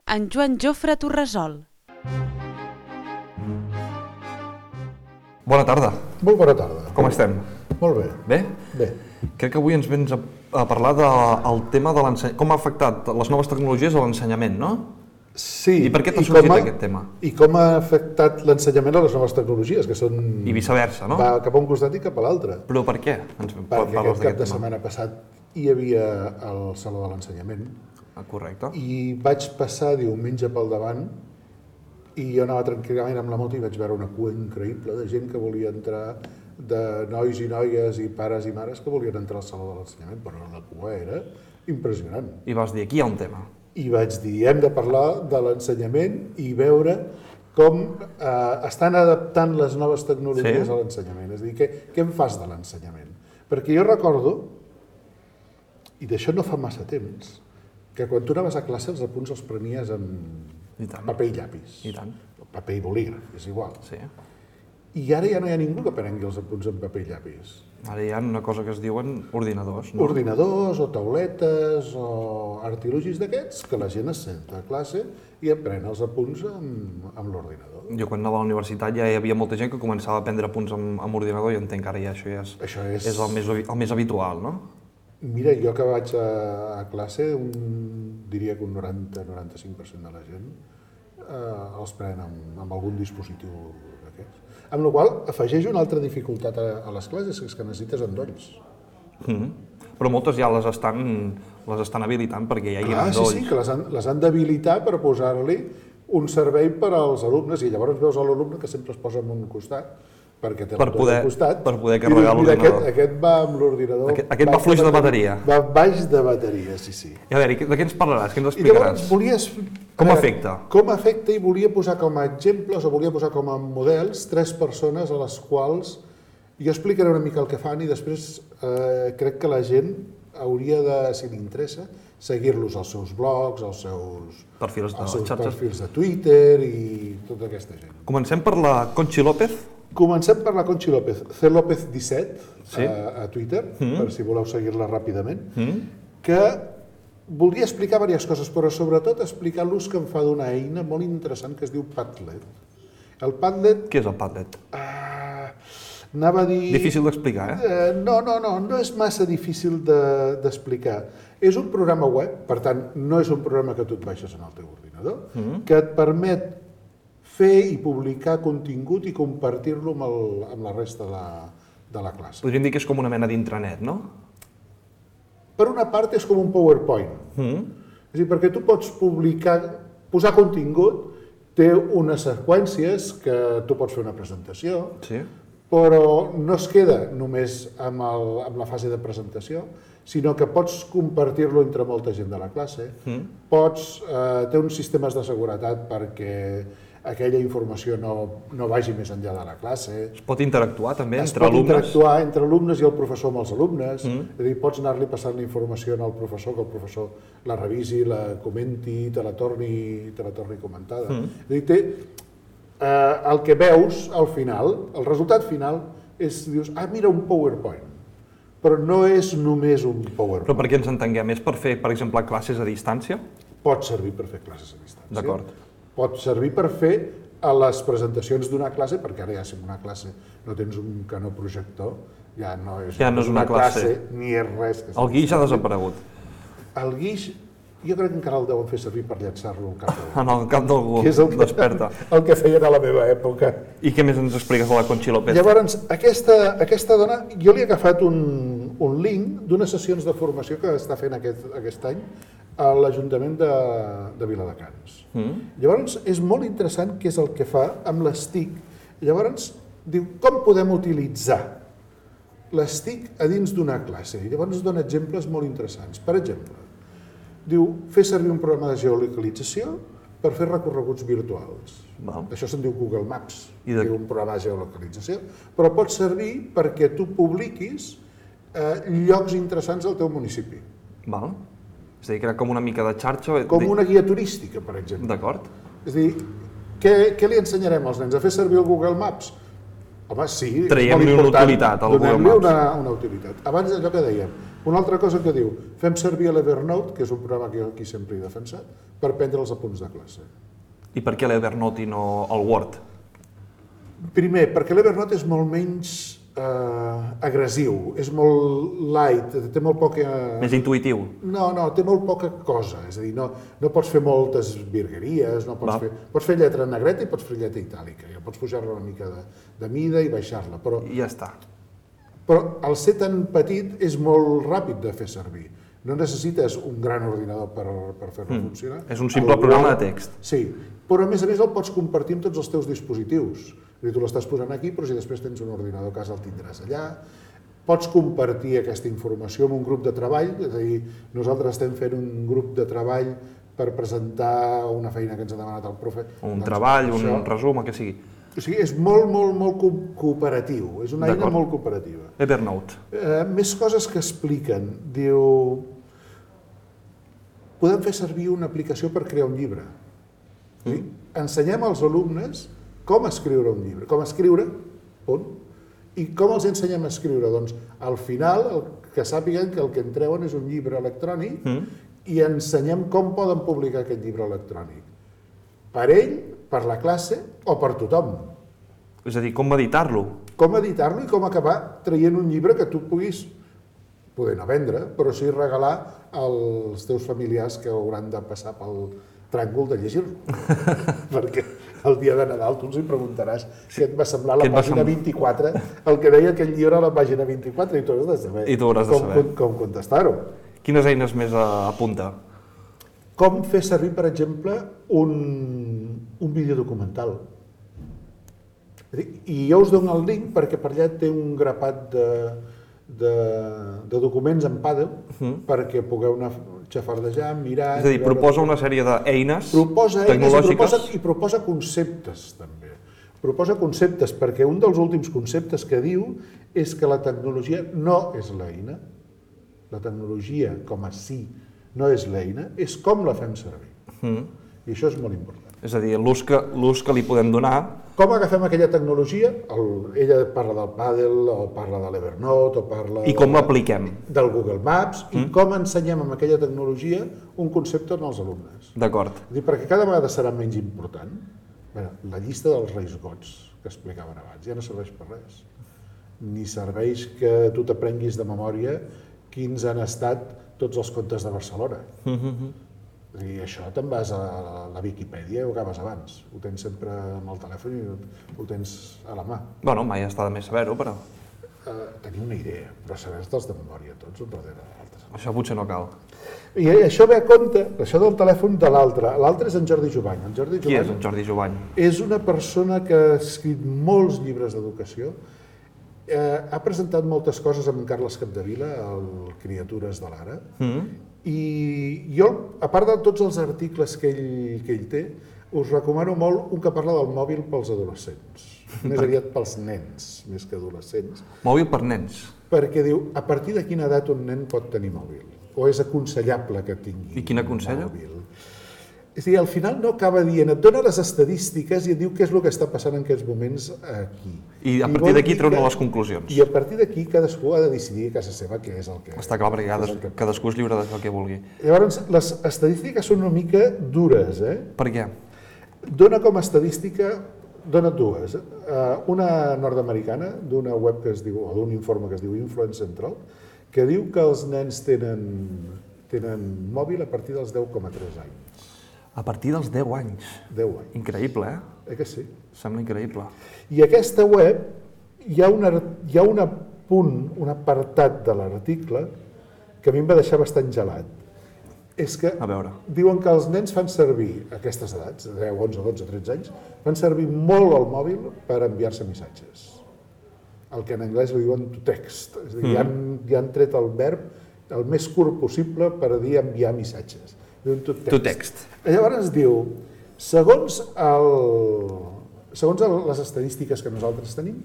Speaker 1: En Joan Jofre Torresol.
Speaker 5: Bona tarda.
Speaker 6: Molt bona tarda.
Speaker 5: Com estem?
Speaker 6: Molt bé.
Speaker 5: Bé?
Speaker 6: Bé.
Speaker 5: Crec que avui ens vens a, a parlar del tema de l'ensenyament, com ha afectat les noves tecnologies a l'ensenyament, no?
Speaker 6: Sí.
Speaker 5: I per què t'ha
Speaker 6: i
Speaker 5: sorgit
Speaker 6: com ha-
Speaker 5: aquest tema?
Speaker 6: I com ha afectat l'ensenyament a les noves tecnologies, que són...
Speaker 5: I viceversa, no?
Speaker 6: Va cap a un costat i cap a l'altre.
Speaker 5: Però per què? Ens
Speaker 6: Perquè
Speaker 5: parles
Speaker 6: aquest cap
Speaker 5: d'aquest
Speaker 6: de
Speaker 5: tema?
Speaker 6: setmana passat hi havia el Saló de l'Ensenyament
Speaker 5: Ah, correcte.
Speaker 6: i vaig passar diumenge pel davant i jo anava tranquil·lament amb la moto i vaig veure una cua increïble de gent que volia entrar, de nois i noies i pares i mares que volien entrar al Saló de l'Ensenyament, però la cua era impressionant.
Speaker 5: I vas dir, aquí hi ha un tema.
Speaker 6: I vaig dir, hem de parlar de l'ensenyament i veure com eh, estan adaptant les noves tecnologies
Speaker 5: Sí.
Speaker 6: a l'ensenyament. És a dir, què, què en fas de l'ensenyament? Perquè jo recordo, i d'això no fa massa temps, que quan tu anaves a classe els apunts els prenies amb
Speaker 5: I tant.
Speaker 6: paper i llapis.
Speaker 5: I tant.
Speaker 6: O paper i bolígraf, és igual.
Speaker 5: Sí.
Speaker 6: I ara ja no hi ha ningú que prengui els apunts amb paper i llapis.
Speaker 5: Ara hi ha una cosa que es diuen ordinadors, no?
Speaker 6: Ordinadors o tauletes o artilugis d'aquests que la gent es senta a classe i em pren els apunts amb, amb l'ordinador.
Speaker 5: Jo quan anava a la universitat ja hi havia molta gent que començava a prendre apunts amb, amb ordinador i entenc que ara ja això ja és,
Speaker 6: Això és-
Speaker 5: és el, més, el més habitual, no?
Speaker 6: Mira, jo que vaig a, a classe, un, diria que un noranta a noranta-cinc per cent de la gent eh, els pren amb, amb algun dispositiu d'aquests. Amb la qual cosa afegeix una altra dificultat a, a les classes, que és que necessites endolls.
Speaker 5: Mm -hmm. però moltes ja les estan, les estan habilitant perquè hi hagi
Speaker 6: Ah, sí,
Speaker 5: endolls.
Speaker 6: sí, que les han, les han d'habilitar per posar-li un servei per als alumnes i llavors veus l'alumne que sempre es posa en un costat perquè té
Speaker 5: Per
Speaker 6: l'altre
Speaker 5: poder-
Speaker 6: costat.
Speaker 5: per poder
Speaker 6: i dius,
Speaker 5: carregar
Speaker 6: mira,
Speaker 5: l'ordinador.
Speaker 6: Aquest, aquest va amb l'ordinador...
Speaker 5: Aquest- aquest va
Speaker 6: baix
Speaker 5: fluix de bateria.
Speaker 6: Va baix de bateria, sí, sí.
Speaker 5: I a veure, de què ens parlaràs? Què ens
Speaker 6: I llavors
Speaker 5: explicaràs?
Speaker 6: volies...
Speaker 5: Com
Speaker 6: a veure,
Speaker 5: afecta?
Speaker 6: Com afecta i volia posar com a exemples o volia posar com a models tres persones a les quals jo explicaré una mica el que fan i després eh, crec que la gent hauria de, si li interessa, seguir-los als seus blogs, als seus,
Speaker 5: Perfils de
Speaker 6: als seus
Speaker 5: xarxes.
Speaker 6: perfils de Twitter i tota aquesta gent.
Speaker 5: Comencem per la Conchi López.
Speaker 6: Comencem per la Conchi López, C López disset
Speaker 5: Sí.
Speaker 6: a, a Twitter,
Speaker 5: Mm.
Speaker 6: per si voleu seguir-la ràpidament,
Speaker 5: Mm?
Speaker 6: que voldria explicar diverses coses, però sobretot explicar l'ús que em fa d'una eina molt interessant que es diu Padlet. El Padlet,
Speaker 5: Què és el Padlet?
Speaker 6: ah, anava a dir...
Speaker 5: Difícil d'explicar, eh?
Speaker 6: Eh, no, no, no, no és massa difícil de- d'explicar. És un programa web, per tant, no és un programa que tu et baixes en el teu ordinador,
Speaker 5: Mm.
Speaker 6: que et permet fer i publicar contingut i compartir-lo amb, el, amb la resta de la, de la classe.
Speaker 5: Podríem dir que és com una mena d'intranet, no?
Speaker 6: Per una part és com un PowerPoint.
Speaker 5: Mm.
Speaker 6: És a dir, perquè tu pots publicar, posar contingut, té unes seqüències que tu pots fer una presentació,
Speaker 5: Sí.
Speaker 6: però no es queda només amb, el, amb la fase de presentació, sinó que pots compartir-lo entre molta gent de la classe,
Speaker 5: Mm.
Speaker 6: pots, eh, té uns sistemes de seguretat perquè aquella informació no, no vagi més enllà de la classe.
Speaker 5: Es pot interactuar també
Speaker 6: Es
Speaker 5: entre
Speaker 6: pot
Speaker 5: alumnes?
Speaker 6: interactuar entre alumnes i el professor amb els alumnes,
Speaker 5: Mm.
Speaker 6: és a dir, pots anar-li passant la informació al professor, que el professor la revisi, la comenti, te la torni, te la torni comentada.
Speaker 5: Mm.
Speaker 6: És a dir, té, eh, el que veus al final, el resultat final, és, dius, ah, mira, un PowerPoint. Però no és només un PowerPoint.
Speaker 5: Però perquè ens entenguem, és per fer, per exemple, classes a distància?
Speaker 6: Pot servir per fer classes a distància.
Speaker 5: D'acord.
Speaker 6: Pot servir per fer a les presentacions d'una classe, perquè ara ja si en una classe no tens un canó projector, ja no és,
Speaker 5: Ja no és una classe.
Speaker 6: ni és res. Que
Speaker 5: El guix ha desaparegut.
Speaker 6: El guix, jo crec que encara el deuen fer servir per llançar-lo al cap d'algú.
Speaker 5: En el cap d'algú
Speaker 6: Que és el que,
Speaker 5: desperta.
Speaker 6: el que feien a la meva època.
Speaker 5: I què més ens expliques de la Conchi López?
Speaker 6: Llavors, aquesta, aquesta dona, jo li he agafat un, un link d'unes sessions de formació que està fent aquest, aquest any a l'Ajuntament de, de Viladecans.
Speaker 5: Mm.
Speaker 6: Llavors, és molt interessant què és el que fa amb les TIC. Llavors, diu, com podem utilitzar les TIC a dins d'una classe? I llavors dona exemples molt interessants. Per exemple, diu, fer servir un programa de geolocalització per fer recorreguts virtuals.
Speaker 5: Val.
Speaker 6: Això se'n diu Google Maps,
Speaker 5: I de-
Speaker 6: diu un programa de geolocalització, però pot servir perquè tu publiquis eh, llocs interessants al teu municipi,
Speaker 5: Val. És a dir, que era com una mica de xarxa.
Speaker 6: com una guia turística, per exemple.
Speaker 5: D'acord.
Speaker 6: És a dir, què, què li ensenyarem als nens? A fer servir el Google Maps? Home, sí, és
Speaker 5: Traiem-li
Speaker 6: molt
Speaker 5: una
Speaker 6: important.
Speaker 5: utilitat al Google
Speaker 6: Donem-li
Speaker 5: Maps.
Speaker 6: una, una utilitat. Abans allò que dèiem, una altra cosa que diu, fem servir l'Evernote, que és un programa que jo aquí sempre he defensat, per prendre els apunts de classe.
Speaker 5: I per què l'Evernote i no el Word?
Speaker 6: Primer, perquè l'Evernote és molt menys eh, agressiu, és molt light, té molt poca...
Speaker 5: Més intuïtiu.
Speaker 6: No, no, té molt poca cosa, és a dir, no, no pots fer moltes virgueries, no pots
Speaker 5: Va.
Speaker 6: fer, pots fer lletra negreta i pots fer lletra itàlica, ja pots pujar-la una mica de, de mida i baixar-la, però,
Speaker 5: I ja està.
Speaker 6: però al ser tan petit és molt ràpid de fer servir. No necessites un gran ordinador per, per fer-lo
Speaker 5: Mm.
Speaker 6: funcionar.
Speaker 5: És un simple
Speaker 6: El
Speaker 5: programa
Speaker 6: Word-
Speaker 5: de text.
Speaker 6: Sí, però a més a més el pots compartir amb tots els teus dispositius. És a dir, tu l'estàs posant aquí, però si després tens un ordinador a casa el tindràs allà. Pots compartir aquesta informació amb un grup de treball, és a dir, nosaltres estem fent un grup de treball per presentar una feina que ens ha demanat el profe.
Speaker 5: Un
Speaker 6: Doncs
Speaker 5: treball,
Speaker 6: això-
Speaker 5: un resum, el que sigui.
Speaker 6: O sigui, és molt, molt, molt co- cooperatiu, és una eina
Speaker 5: D'acord.
Speaker 6: molt cooperativa.
Speaker 5: Evernote.
Speaker 6: Eh, més coses que expliquen. Diu, podem fer servir una aplicació per crear un llibre. És a dir, ensenyem als alumnes com escriure un llibre, com escriure, punt. I com els ensenyem a escriure? Doncs al final el que sàpiguen que el que en treuen és un llibre electrònic
Speaker 5: Mm.
Speaker 6: i ensenyem com poden publicar aquest llibre electrònic. Per ell, per la classe o per tothom.
Speaker 5: És a dir, com editar-lo.
Speaker 6: Com editar-lo i com acabar traient un llibre que tu puguis poder no vendre, però sí regalar als teus familiars que hauran de passar pel tràngol de llegir-lo. perquè, el dia de Nadal tu els hi preguntaràs què et va semblar la pàgina vint-i-quatre, el que deia aquell llibre a la pàgina vint-i-quatre, i tu hauràs de saber,
Speaker 5: I tu hauràs de
Speaker 6: com,
Speaker 5: saber.
Speaker 6: com, com contestar-ho.
Speaker 5: Quines eines més apunta?
Speaker 6: Com fer servir, per exemple, un, un videodocumental. I jo us dono el link perquè per allà té un grapat de, de, de documents en Paddle uh-huh. perquè pugueu anar xafardejar, mirar...
Speaker 5: És a dir,
Speaker 6: veure...
Speaker 5: proposa una sèrie d'eines
Speaker 6: proposa eines
Speaker 5: tecnològiques...
Speaker 6: I proposa, i proposa conceptes, també. Proposa conceptes, perquè un dels últims conceptes que diu és que la tecnologia no és l'eina. La tecnologia, com a si, no és l'eina, és com la fem servir. Uh-huh. I això és molt important.
Speaker 5: És a dir, l'ús que, l'ús que li podem donar...
Speaker 6: Com agafem aquella tecnologia? El, ella parla del Paddle, o parla de l'Evernote, o parla...
Speaker 5: I com l'apliquem? Del
Speaker 6: Google Maps, mm. i com ensenyem amb aquella tecnologia un concepte als alumnes.
Speaker 5: D'acord.
Speaker 6: Perquè cada vegada serà menys important. Bé, la llista dels Reis Gots, que explicaven abans, ja no serveix per res. Ni serveix que tu t'aprenguis de memòria quins han estat tots els contes de Barcelona. Mm-hmm. I això te'n vas a la Viquipèdia i ho acabes abans. Ho tens sempre amb el telèfon i ho tens a la mà.
Speaker 5: Bueno, mai està de més saber-ho, però...
Speaker 6: Uh, tenir una idea, però saber-te'ls de memòria, tots un darrere l'altre.
Speaker 5: Això potser no cal.
Speaker 6: I això ve a compte, això del telèfon de l'altre. L'altre és en Jordi Jovany. En Jordi Jovany.
Speaker 5: Qui és en Jordi Jovany?
Speaker 6: És una persona que ha escrit molts llibres d'educació. Eh, ha presentat moltes coses amb Carles Capdevila, el Criatures de l'Ara. Mm. I jo, a part de tots els articles que ell, que ell té, us recomano molt un que parla del mòbil pels adolescents. Més aviat pels nens, més que adolescents.
Speaker 5: Mòbil per nens?
Speaker 6: Perquè diu, a partir de quina edat un nen pot tenir mòbil? O és aconsellable que tingui
Speaker 5: I quina aconsella?
Speaker 6: mòbil? És a dir, al final no acaba dient, et dona les estadístiques i et diu què és el que està passant en aquests moments aquí.
Speaker 5: I a partir d'aquí treuen les conclusions.
Speaker 6: I a partir d'aquí cadascú ha de decidir a casa seva què és el que...
Speaker 5: Està clar, perquè cades, que... cadascú és lliure de fer el que vulgui.
Speaker 6: Llavors, les estadístiques són una mica dures, eh?
Speaker 5: Per què?
Speaker 6: Dona com a estadística, dona dues. Una nord-americana, d'una web que es diu, o d'un informe que es diu Influence Central, que diu que els nens tenen, tenen mòbil a partir dels deu coma tres anys.
Speaker 5: A partir dels deu anys.
Speaker 6: deu anys.
Speaker 5: Increïble, eh?
Speaker 6: Eh que sí?
Speaker 5: Sembla increïble.
Speaker 6: I aquesta web, hi ha, una, hi ha una punt, un apartat de l'article que a mi em va deixar bastant gelat. És que
Speaker 5: a veure.
Speaker 6: Diuen que els nens fan servir, a aquestes edats, deu, onze, dotze, tretze anys, fan servir molt el mòbil per enviar-se missatges. El que en anglès li diuen to text. És a dir, mm. ja, han, ja han tret el verb el més curt possible per dir enviar missatges. To text.
Speaker 5: To text.
Speaker 6: Llavors diu, segons, el, segons el, les estadístiques que nosaltres tenim,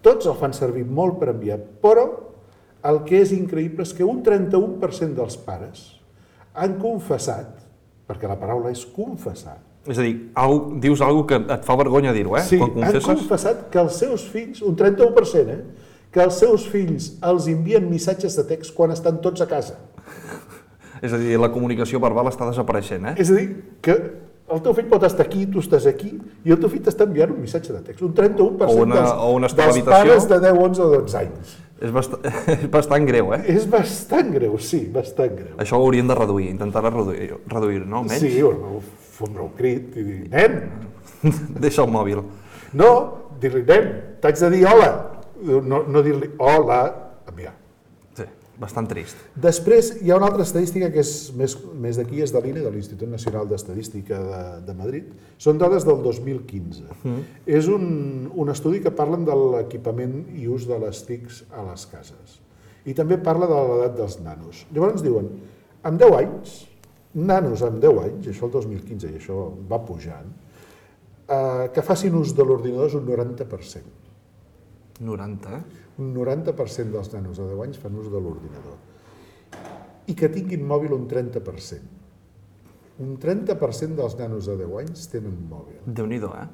Speaker 6: tots el fan servir molt per enviar, però el que és increïble és que un trenta-u per cent dels pares han confessat, perquè la paraula és confessar.
Speaker 5: És a dir, dius alguna cosa que et fa vergonya dir-ho, eh?
Speaker 6: Sí, han confessat que els seus fills, un trenta-u per cent, eh? que els seus fills els envien missatges de text quan estan tots a casa.
Speaker 5: És a dir, la comunicació verbal està desapareixent, eh?
Speaker 6: És a dir, que el teu fill pot estar aquí, tu estàs aquí, i el teu fill t'està enviant un missatge de text. Un trenta-u per cent
Speaker 5: una,
Speaker 6: dels, dels pares de deu, onze o dotze anys.
Speaker 5: És bastant, és bastant greu, eh?
Speaker 6: És bastant greu, sí, bastant greu.
Speaker 5: Això ho hauríem de reduir, intentar reduir-ho, reduir, no? Almenys.
Speaker 6: Sí, o fondre un crit i dir, nen!
Speaker 5: Deixa el mòbil.
Speaker 6: No, dir-li, nen, t'haig de dir hola. No, no dir-li hola, enviar.
Speaker 5: Sí, bastant trist.
Speaker 6: Després hi ha una altra estadística que és més, més d'aquí, és de l'I N E, de l'Institut Nacional d'Estadística de, de Madrid. Són dades del dos mil quinze. Mm. És un, un estudi que parlen de l'equipament i ús de les T I Cs a les cases. I també parla de l'edat dels nanos. Llavors ens diuen, amb deu anys, nanos amb deu anys, això el dos mil quinze i això va pujant, eh, que facin ús de l'ordinador és un noranta per cent.
Speaker 5: noranta, eh?
Speaker 6: Un noranta per cent dels nanos de deu anys fan ús de l'ordinador. I que tinguin mòbil un trenta per cent. Un trenta per cent dels nanos de deu anys tenen mòbil.
Speaker 5: Déu-n'hi-do, eh?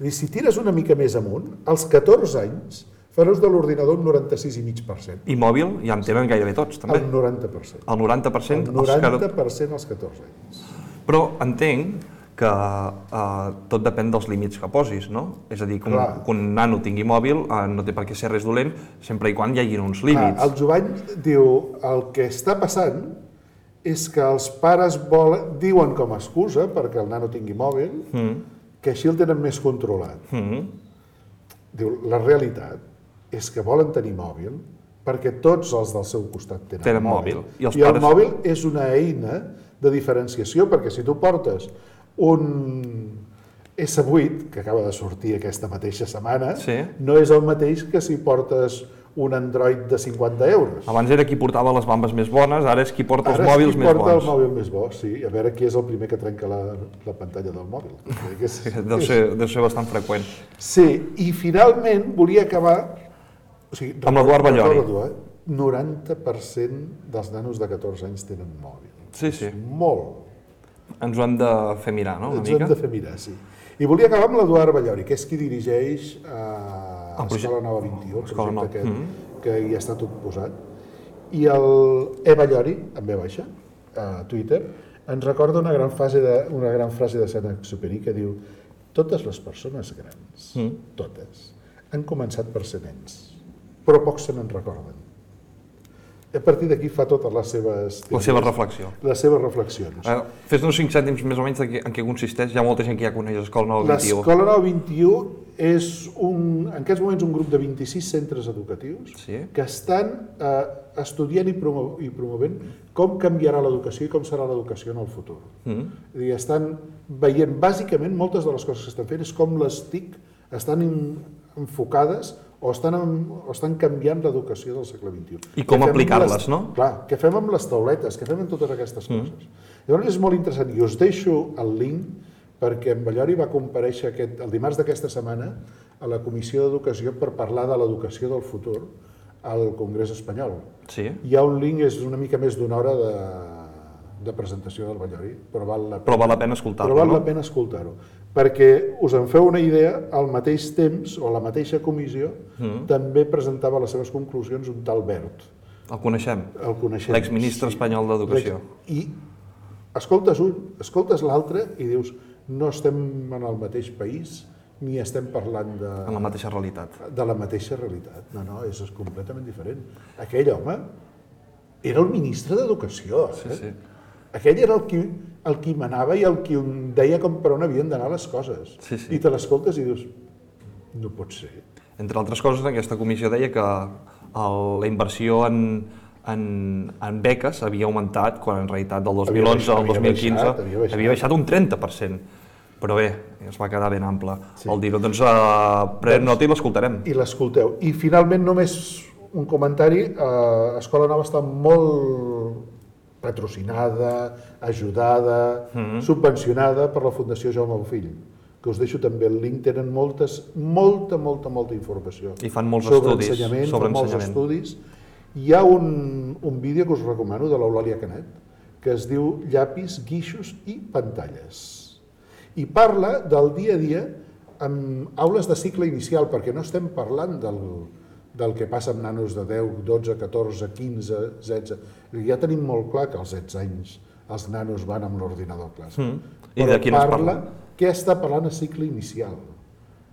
Speaker 6: I si tires una mica més amunt, als catorze anys fan ús de l'ordinador un noranta-sis coma cinc per cent.
Speaker 5: I mòbil ja en tenen gairebé tots, també.
Speaker 6: El noranta per cent.
Speaker 5: El noranta per cent?
Speaker 6: El noranta per cent als catorze anys.
Speaker 5: Però entenc que eh, tot depèn dels límits que posis, no? És a dir, que un, que un nano tingui mòbil eh, no té per què ser res dolent, sempre i quan hi hagi uns límits.
Speaker 6: Clar, el Jovany diu, el que està passant és que els pares volen, diuen com a excusa perquè el nano tingui mòbil, mm. que així el tenen més controlat. Diu, la realitat és que volen tenir mòbil perquè tots els del seu costat tenen,
Speaker 5: Tenen
Speaker 6: mòbil.
Speaker 5: mòbil. I els
Speaker 6: I el
Speaker 5: pares-
Speaker 6: mòbil és una eina de diferenciació, perquè si tu portes un esse vuit, que acaba de sortir aquesta mateixa setmana,
Speaker 5: Sí.
Speaker 6: no és el mateix que si portes un Android de cinquanta euros.
Speaker 5: Abans era qui portava les bambes més bones, ara és qui porta els
Speaker 6: Ara és
Speaker 5: mòbils
Speaker 6: qui
Speaker 5: més
Speaker 6: porta
Speaker 5: bons.
Speaker 6: el mòbil més bo, sí. A veure qui és el primer que trenca la, la pantalla del mòbil. Que és,
Speaker 5: Deu ser, deu ser bastant freqüent.
Speaker 6: Sí, i finalment volia acabar... O sigui,
Speaker 5: Amb l'Eduard Ballori.
Speaker 6: recordo, eh? noranta per cent dels nanos de catorze anys tenen mòbil.
Speaker 5: Sí, sí.
Speaker 6: És molt.
Speaker 5: Ens ho hem de fer mirar, no? Una
Speaker 6: Ens
Speaker 5: mica.
Speaker 6: hem de fer mirar, sí. I volia acabar amb l'Eduard Ballori, que és qui dirigeix a
Speaker 5: El projecte-
Speaker 6: Escola Nova vint i u, el
Speaker 5: Escola Nova.
Speaker 6: projecte aquest,
Speaker 5: Mhm.
Speaker 6: que hi està tot posat. I el E. Ballori, en ve baixa, a Twitter, ens recorda una gran frase de, una gran frase de Saint-Exupéry que diu: totes les persones grans,
Speaker 5: Mm.
Speaker 6: totes, han començat per ser nens, però pocs se n'en recorden. I a partir d'aquí fa totes les seves...
Speaker 5: La seva reflexió.
Speaker 6: Les seves reflexions.
Speaker 5: Eh, Fes-nos cinc cèntims més o menys de què, en què consisteix. Hi ha molta gent que ja coneix l'Escola Nova vint i u.
Speaker 6: L'Escola Nova vint i u és un, en aquests moments un grup de vint-i-sis centres educatius
Speaker 5: Sí.
Speaker 6: que estan eh, estudiant i, promo i promovent com canviarà l'educació i com serà l'educació en el futur.
Speaker 5: Mm.
Speaker 6: És a dir, estan veient, bàsicament, moltes de les coses que estan fent és com les T I C estan in, enfocades o estan, en, o estan canviant l'educació del segle vint i u.
Speaker 5: I com
Speaker 6: Què fem amb
Speaker 5: aplicar-les,
Speaker 6: les-
Speaker 5: no?
Speaker 6: Clar, què fem amb les tauletes, què fem amb totes aquestes coses. Llavors és molt interessant, i us deixo el link perquè en Ballori va comparèixer aquest, el dimarts d'aquesta setmana a la Comissió d'Educació per parlar de l'educació del futur al Congrés Espanyol.
Speaker 5: Sí.
Speaker 6: Hi ha un link, és una mica més d'una hora de, de presentació del Ballori, però val la
Speaker 5: Però val la pena escoltar-lo,
Speaker 6: però val
Speaker 5: no?
Speaker 6: la pena escoltar-ho, perquè us en feu una idea, al mateix temps, o la mateixa comissió,
Speaker 5: Mm.
Speaker 6: també presentava les seves conclusions un tal Bert.
Speaker 5: El coneixem.
Speaker 6: El coneixem.
Speaker 5: L'exministre espanyol d'Educació.
Speaker 6: I escoltes un, escoltes l'altre i dius, no estem en el mateix país, ni estem parlant de,
Speaker 5: En la mateixa realitat.
Speaker 6: de la mateixa realitat. No, no, és, és completament diferent. Aquell home era el ministre d'Educació. Eh?
Speaker 5: Sí, sí.
Speaker 6: Aquell era el qui, el qui manava i el qui deia com per on havien d'anar les coses.
Speaker 5: Sí, sí.
Speaker 6: I te l'escoltes i dius, no pot ser.
Speaker 5: Entre altres coses, aquesta comissió deia que el, la inversió en, en, en beques havia augmentat quan en realitat del dos mil onze
Speaker 6: Havia
Speaker 5: al dos mil quinze
Speaker 6: baixat, havia baixat.
Speaker 5: havia baixat un trenta per cent. Però bé, es va quedar ben ample sí. el dir-ho. Doncs uh, prenem nota i l'escoltarem.
Speaker 6: I l'escolteu. I finalment només un comentari. Eh, Escola Nova està molt patrocinada, ajudada, mm-hmm. subvencionada per la Fundació Jaume Bofill, que us deixo també el link, tenen moltes, molta, molta, molta informació.
Speaker 5: I fan molts
Speaker 6: sobre
Speaker 5: estudis
Speaker 6: ensenyament,
Speaker 5: sobre
Speaker 6: fan molts
Speaker 5: ensenyament.
Speaker 6: estudis. Hi ha un, un vídeo que us recomano de l'Eulàlia Canet, que es diu Llapis, guixos i pantalles. I parla del dia a dia amb aules de cicle inicial, perquè no estem parlant del, del que passa amb nanos de deu, dotze, catorze, quinze, setze. Ja tenim molt clar que als setze anys els nanos van amb l'ordinador a classe.
Speaker 5: Mm. I de quin es parla?
Speaker 6: Què està parlant a cicle inicial?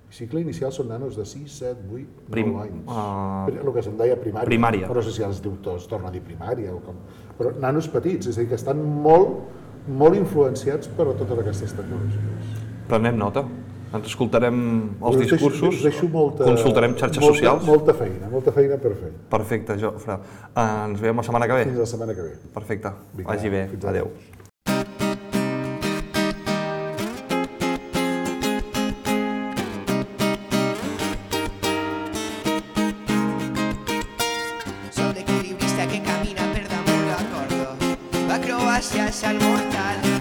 Speaker 6: El cicle inicial són nanos de sis, set, vuit,
Speaker 5: Prim-
Speaker 6: nou anys.
Speaker 5: uh,
Speaker 6: El que se'n deia primària.
Speaker 5: primària.
Speaker 6: Però no sé si els diu tots, torna a dir primària o com. Però nanos petits, és a dir, que estan molt, molt influenciats per totes aquestes tecnologies.
Speaker 5: Prenem nota. Ens escoltarem els
Speaker 6: Us deixo-
Speaker 5: discursos,
Speaker 6: us deixo molta,
Speaker 5: consultarem xarxes
Speaker 6: molta,
Speaker 5: socials.
Speaker 6: Molta feina, molta feina per fer.
Speaker 5: Perfecte, Jofre. Ens veiem la setmana que ve.
Speaker 6: Fins la setmana que ve.
Speaker 5: Perfecte.
Speaker 6: Vinga,
Speaker 5: Vagi bé.
Speaker 6: fins ara.
Speaker 5: Adéu.
Speaker 7: Son d'equilibrista que camina per damunt la corda. Va Croàcia és el mortal.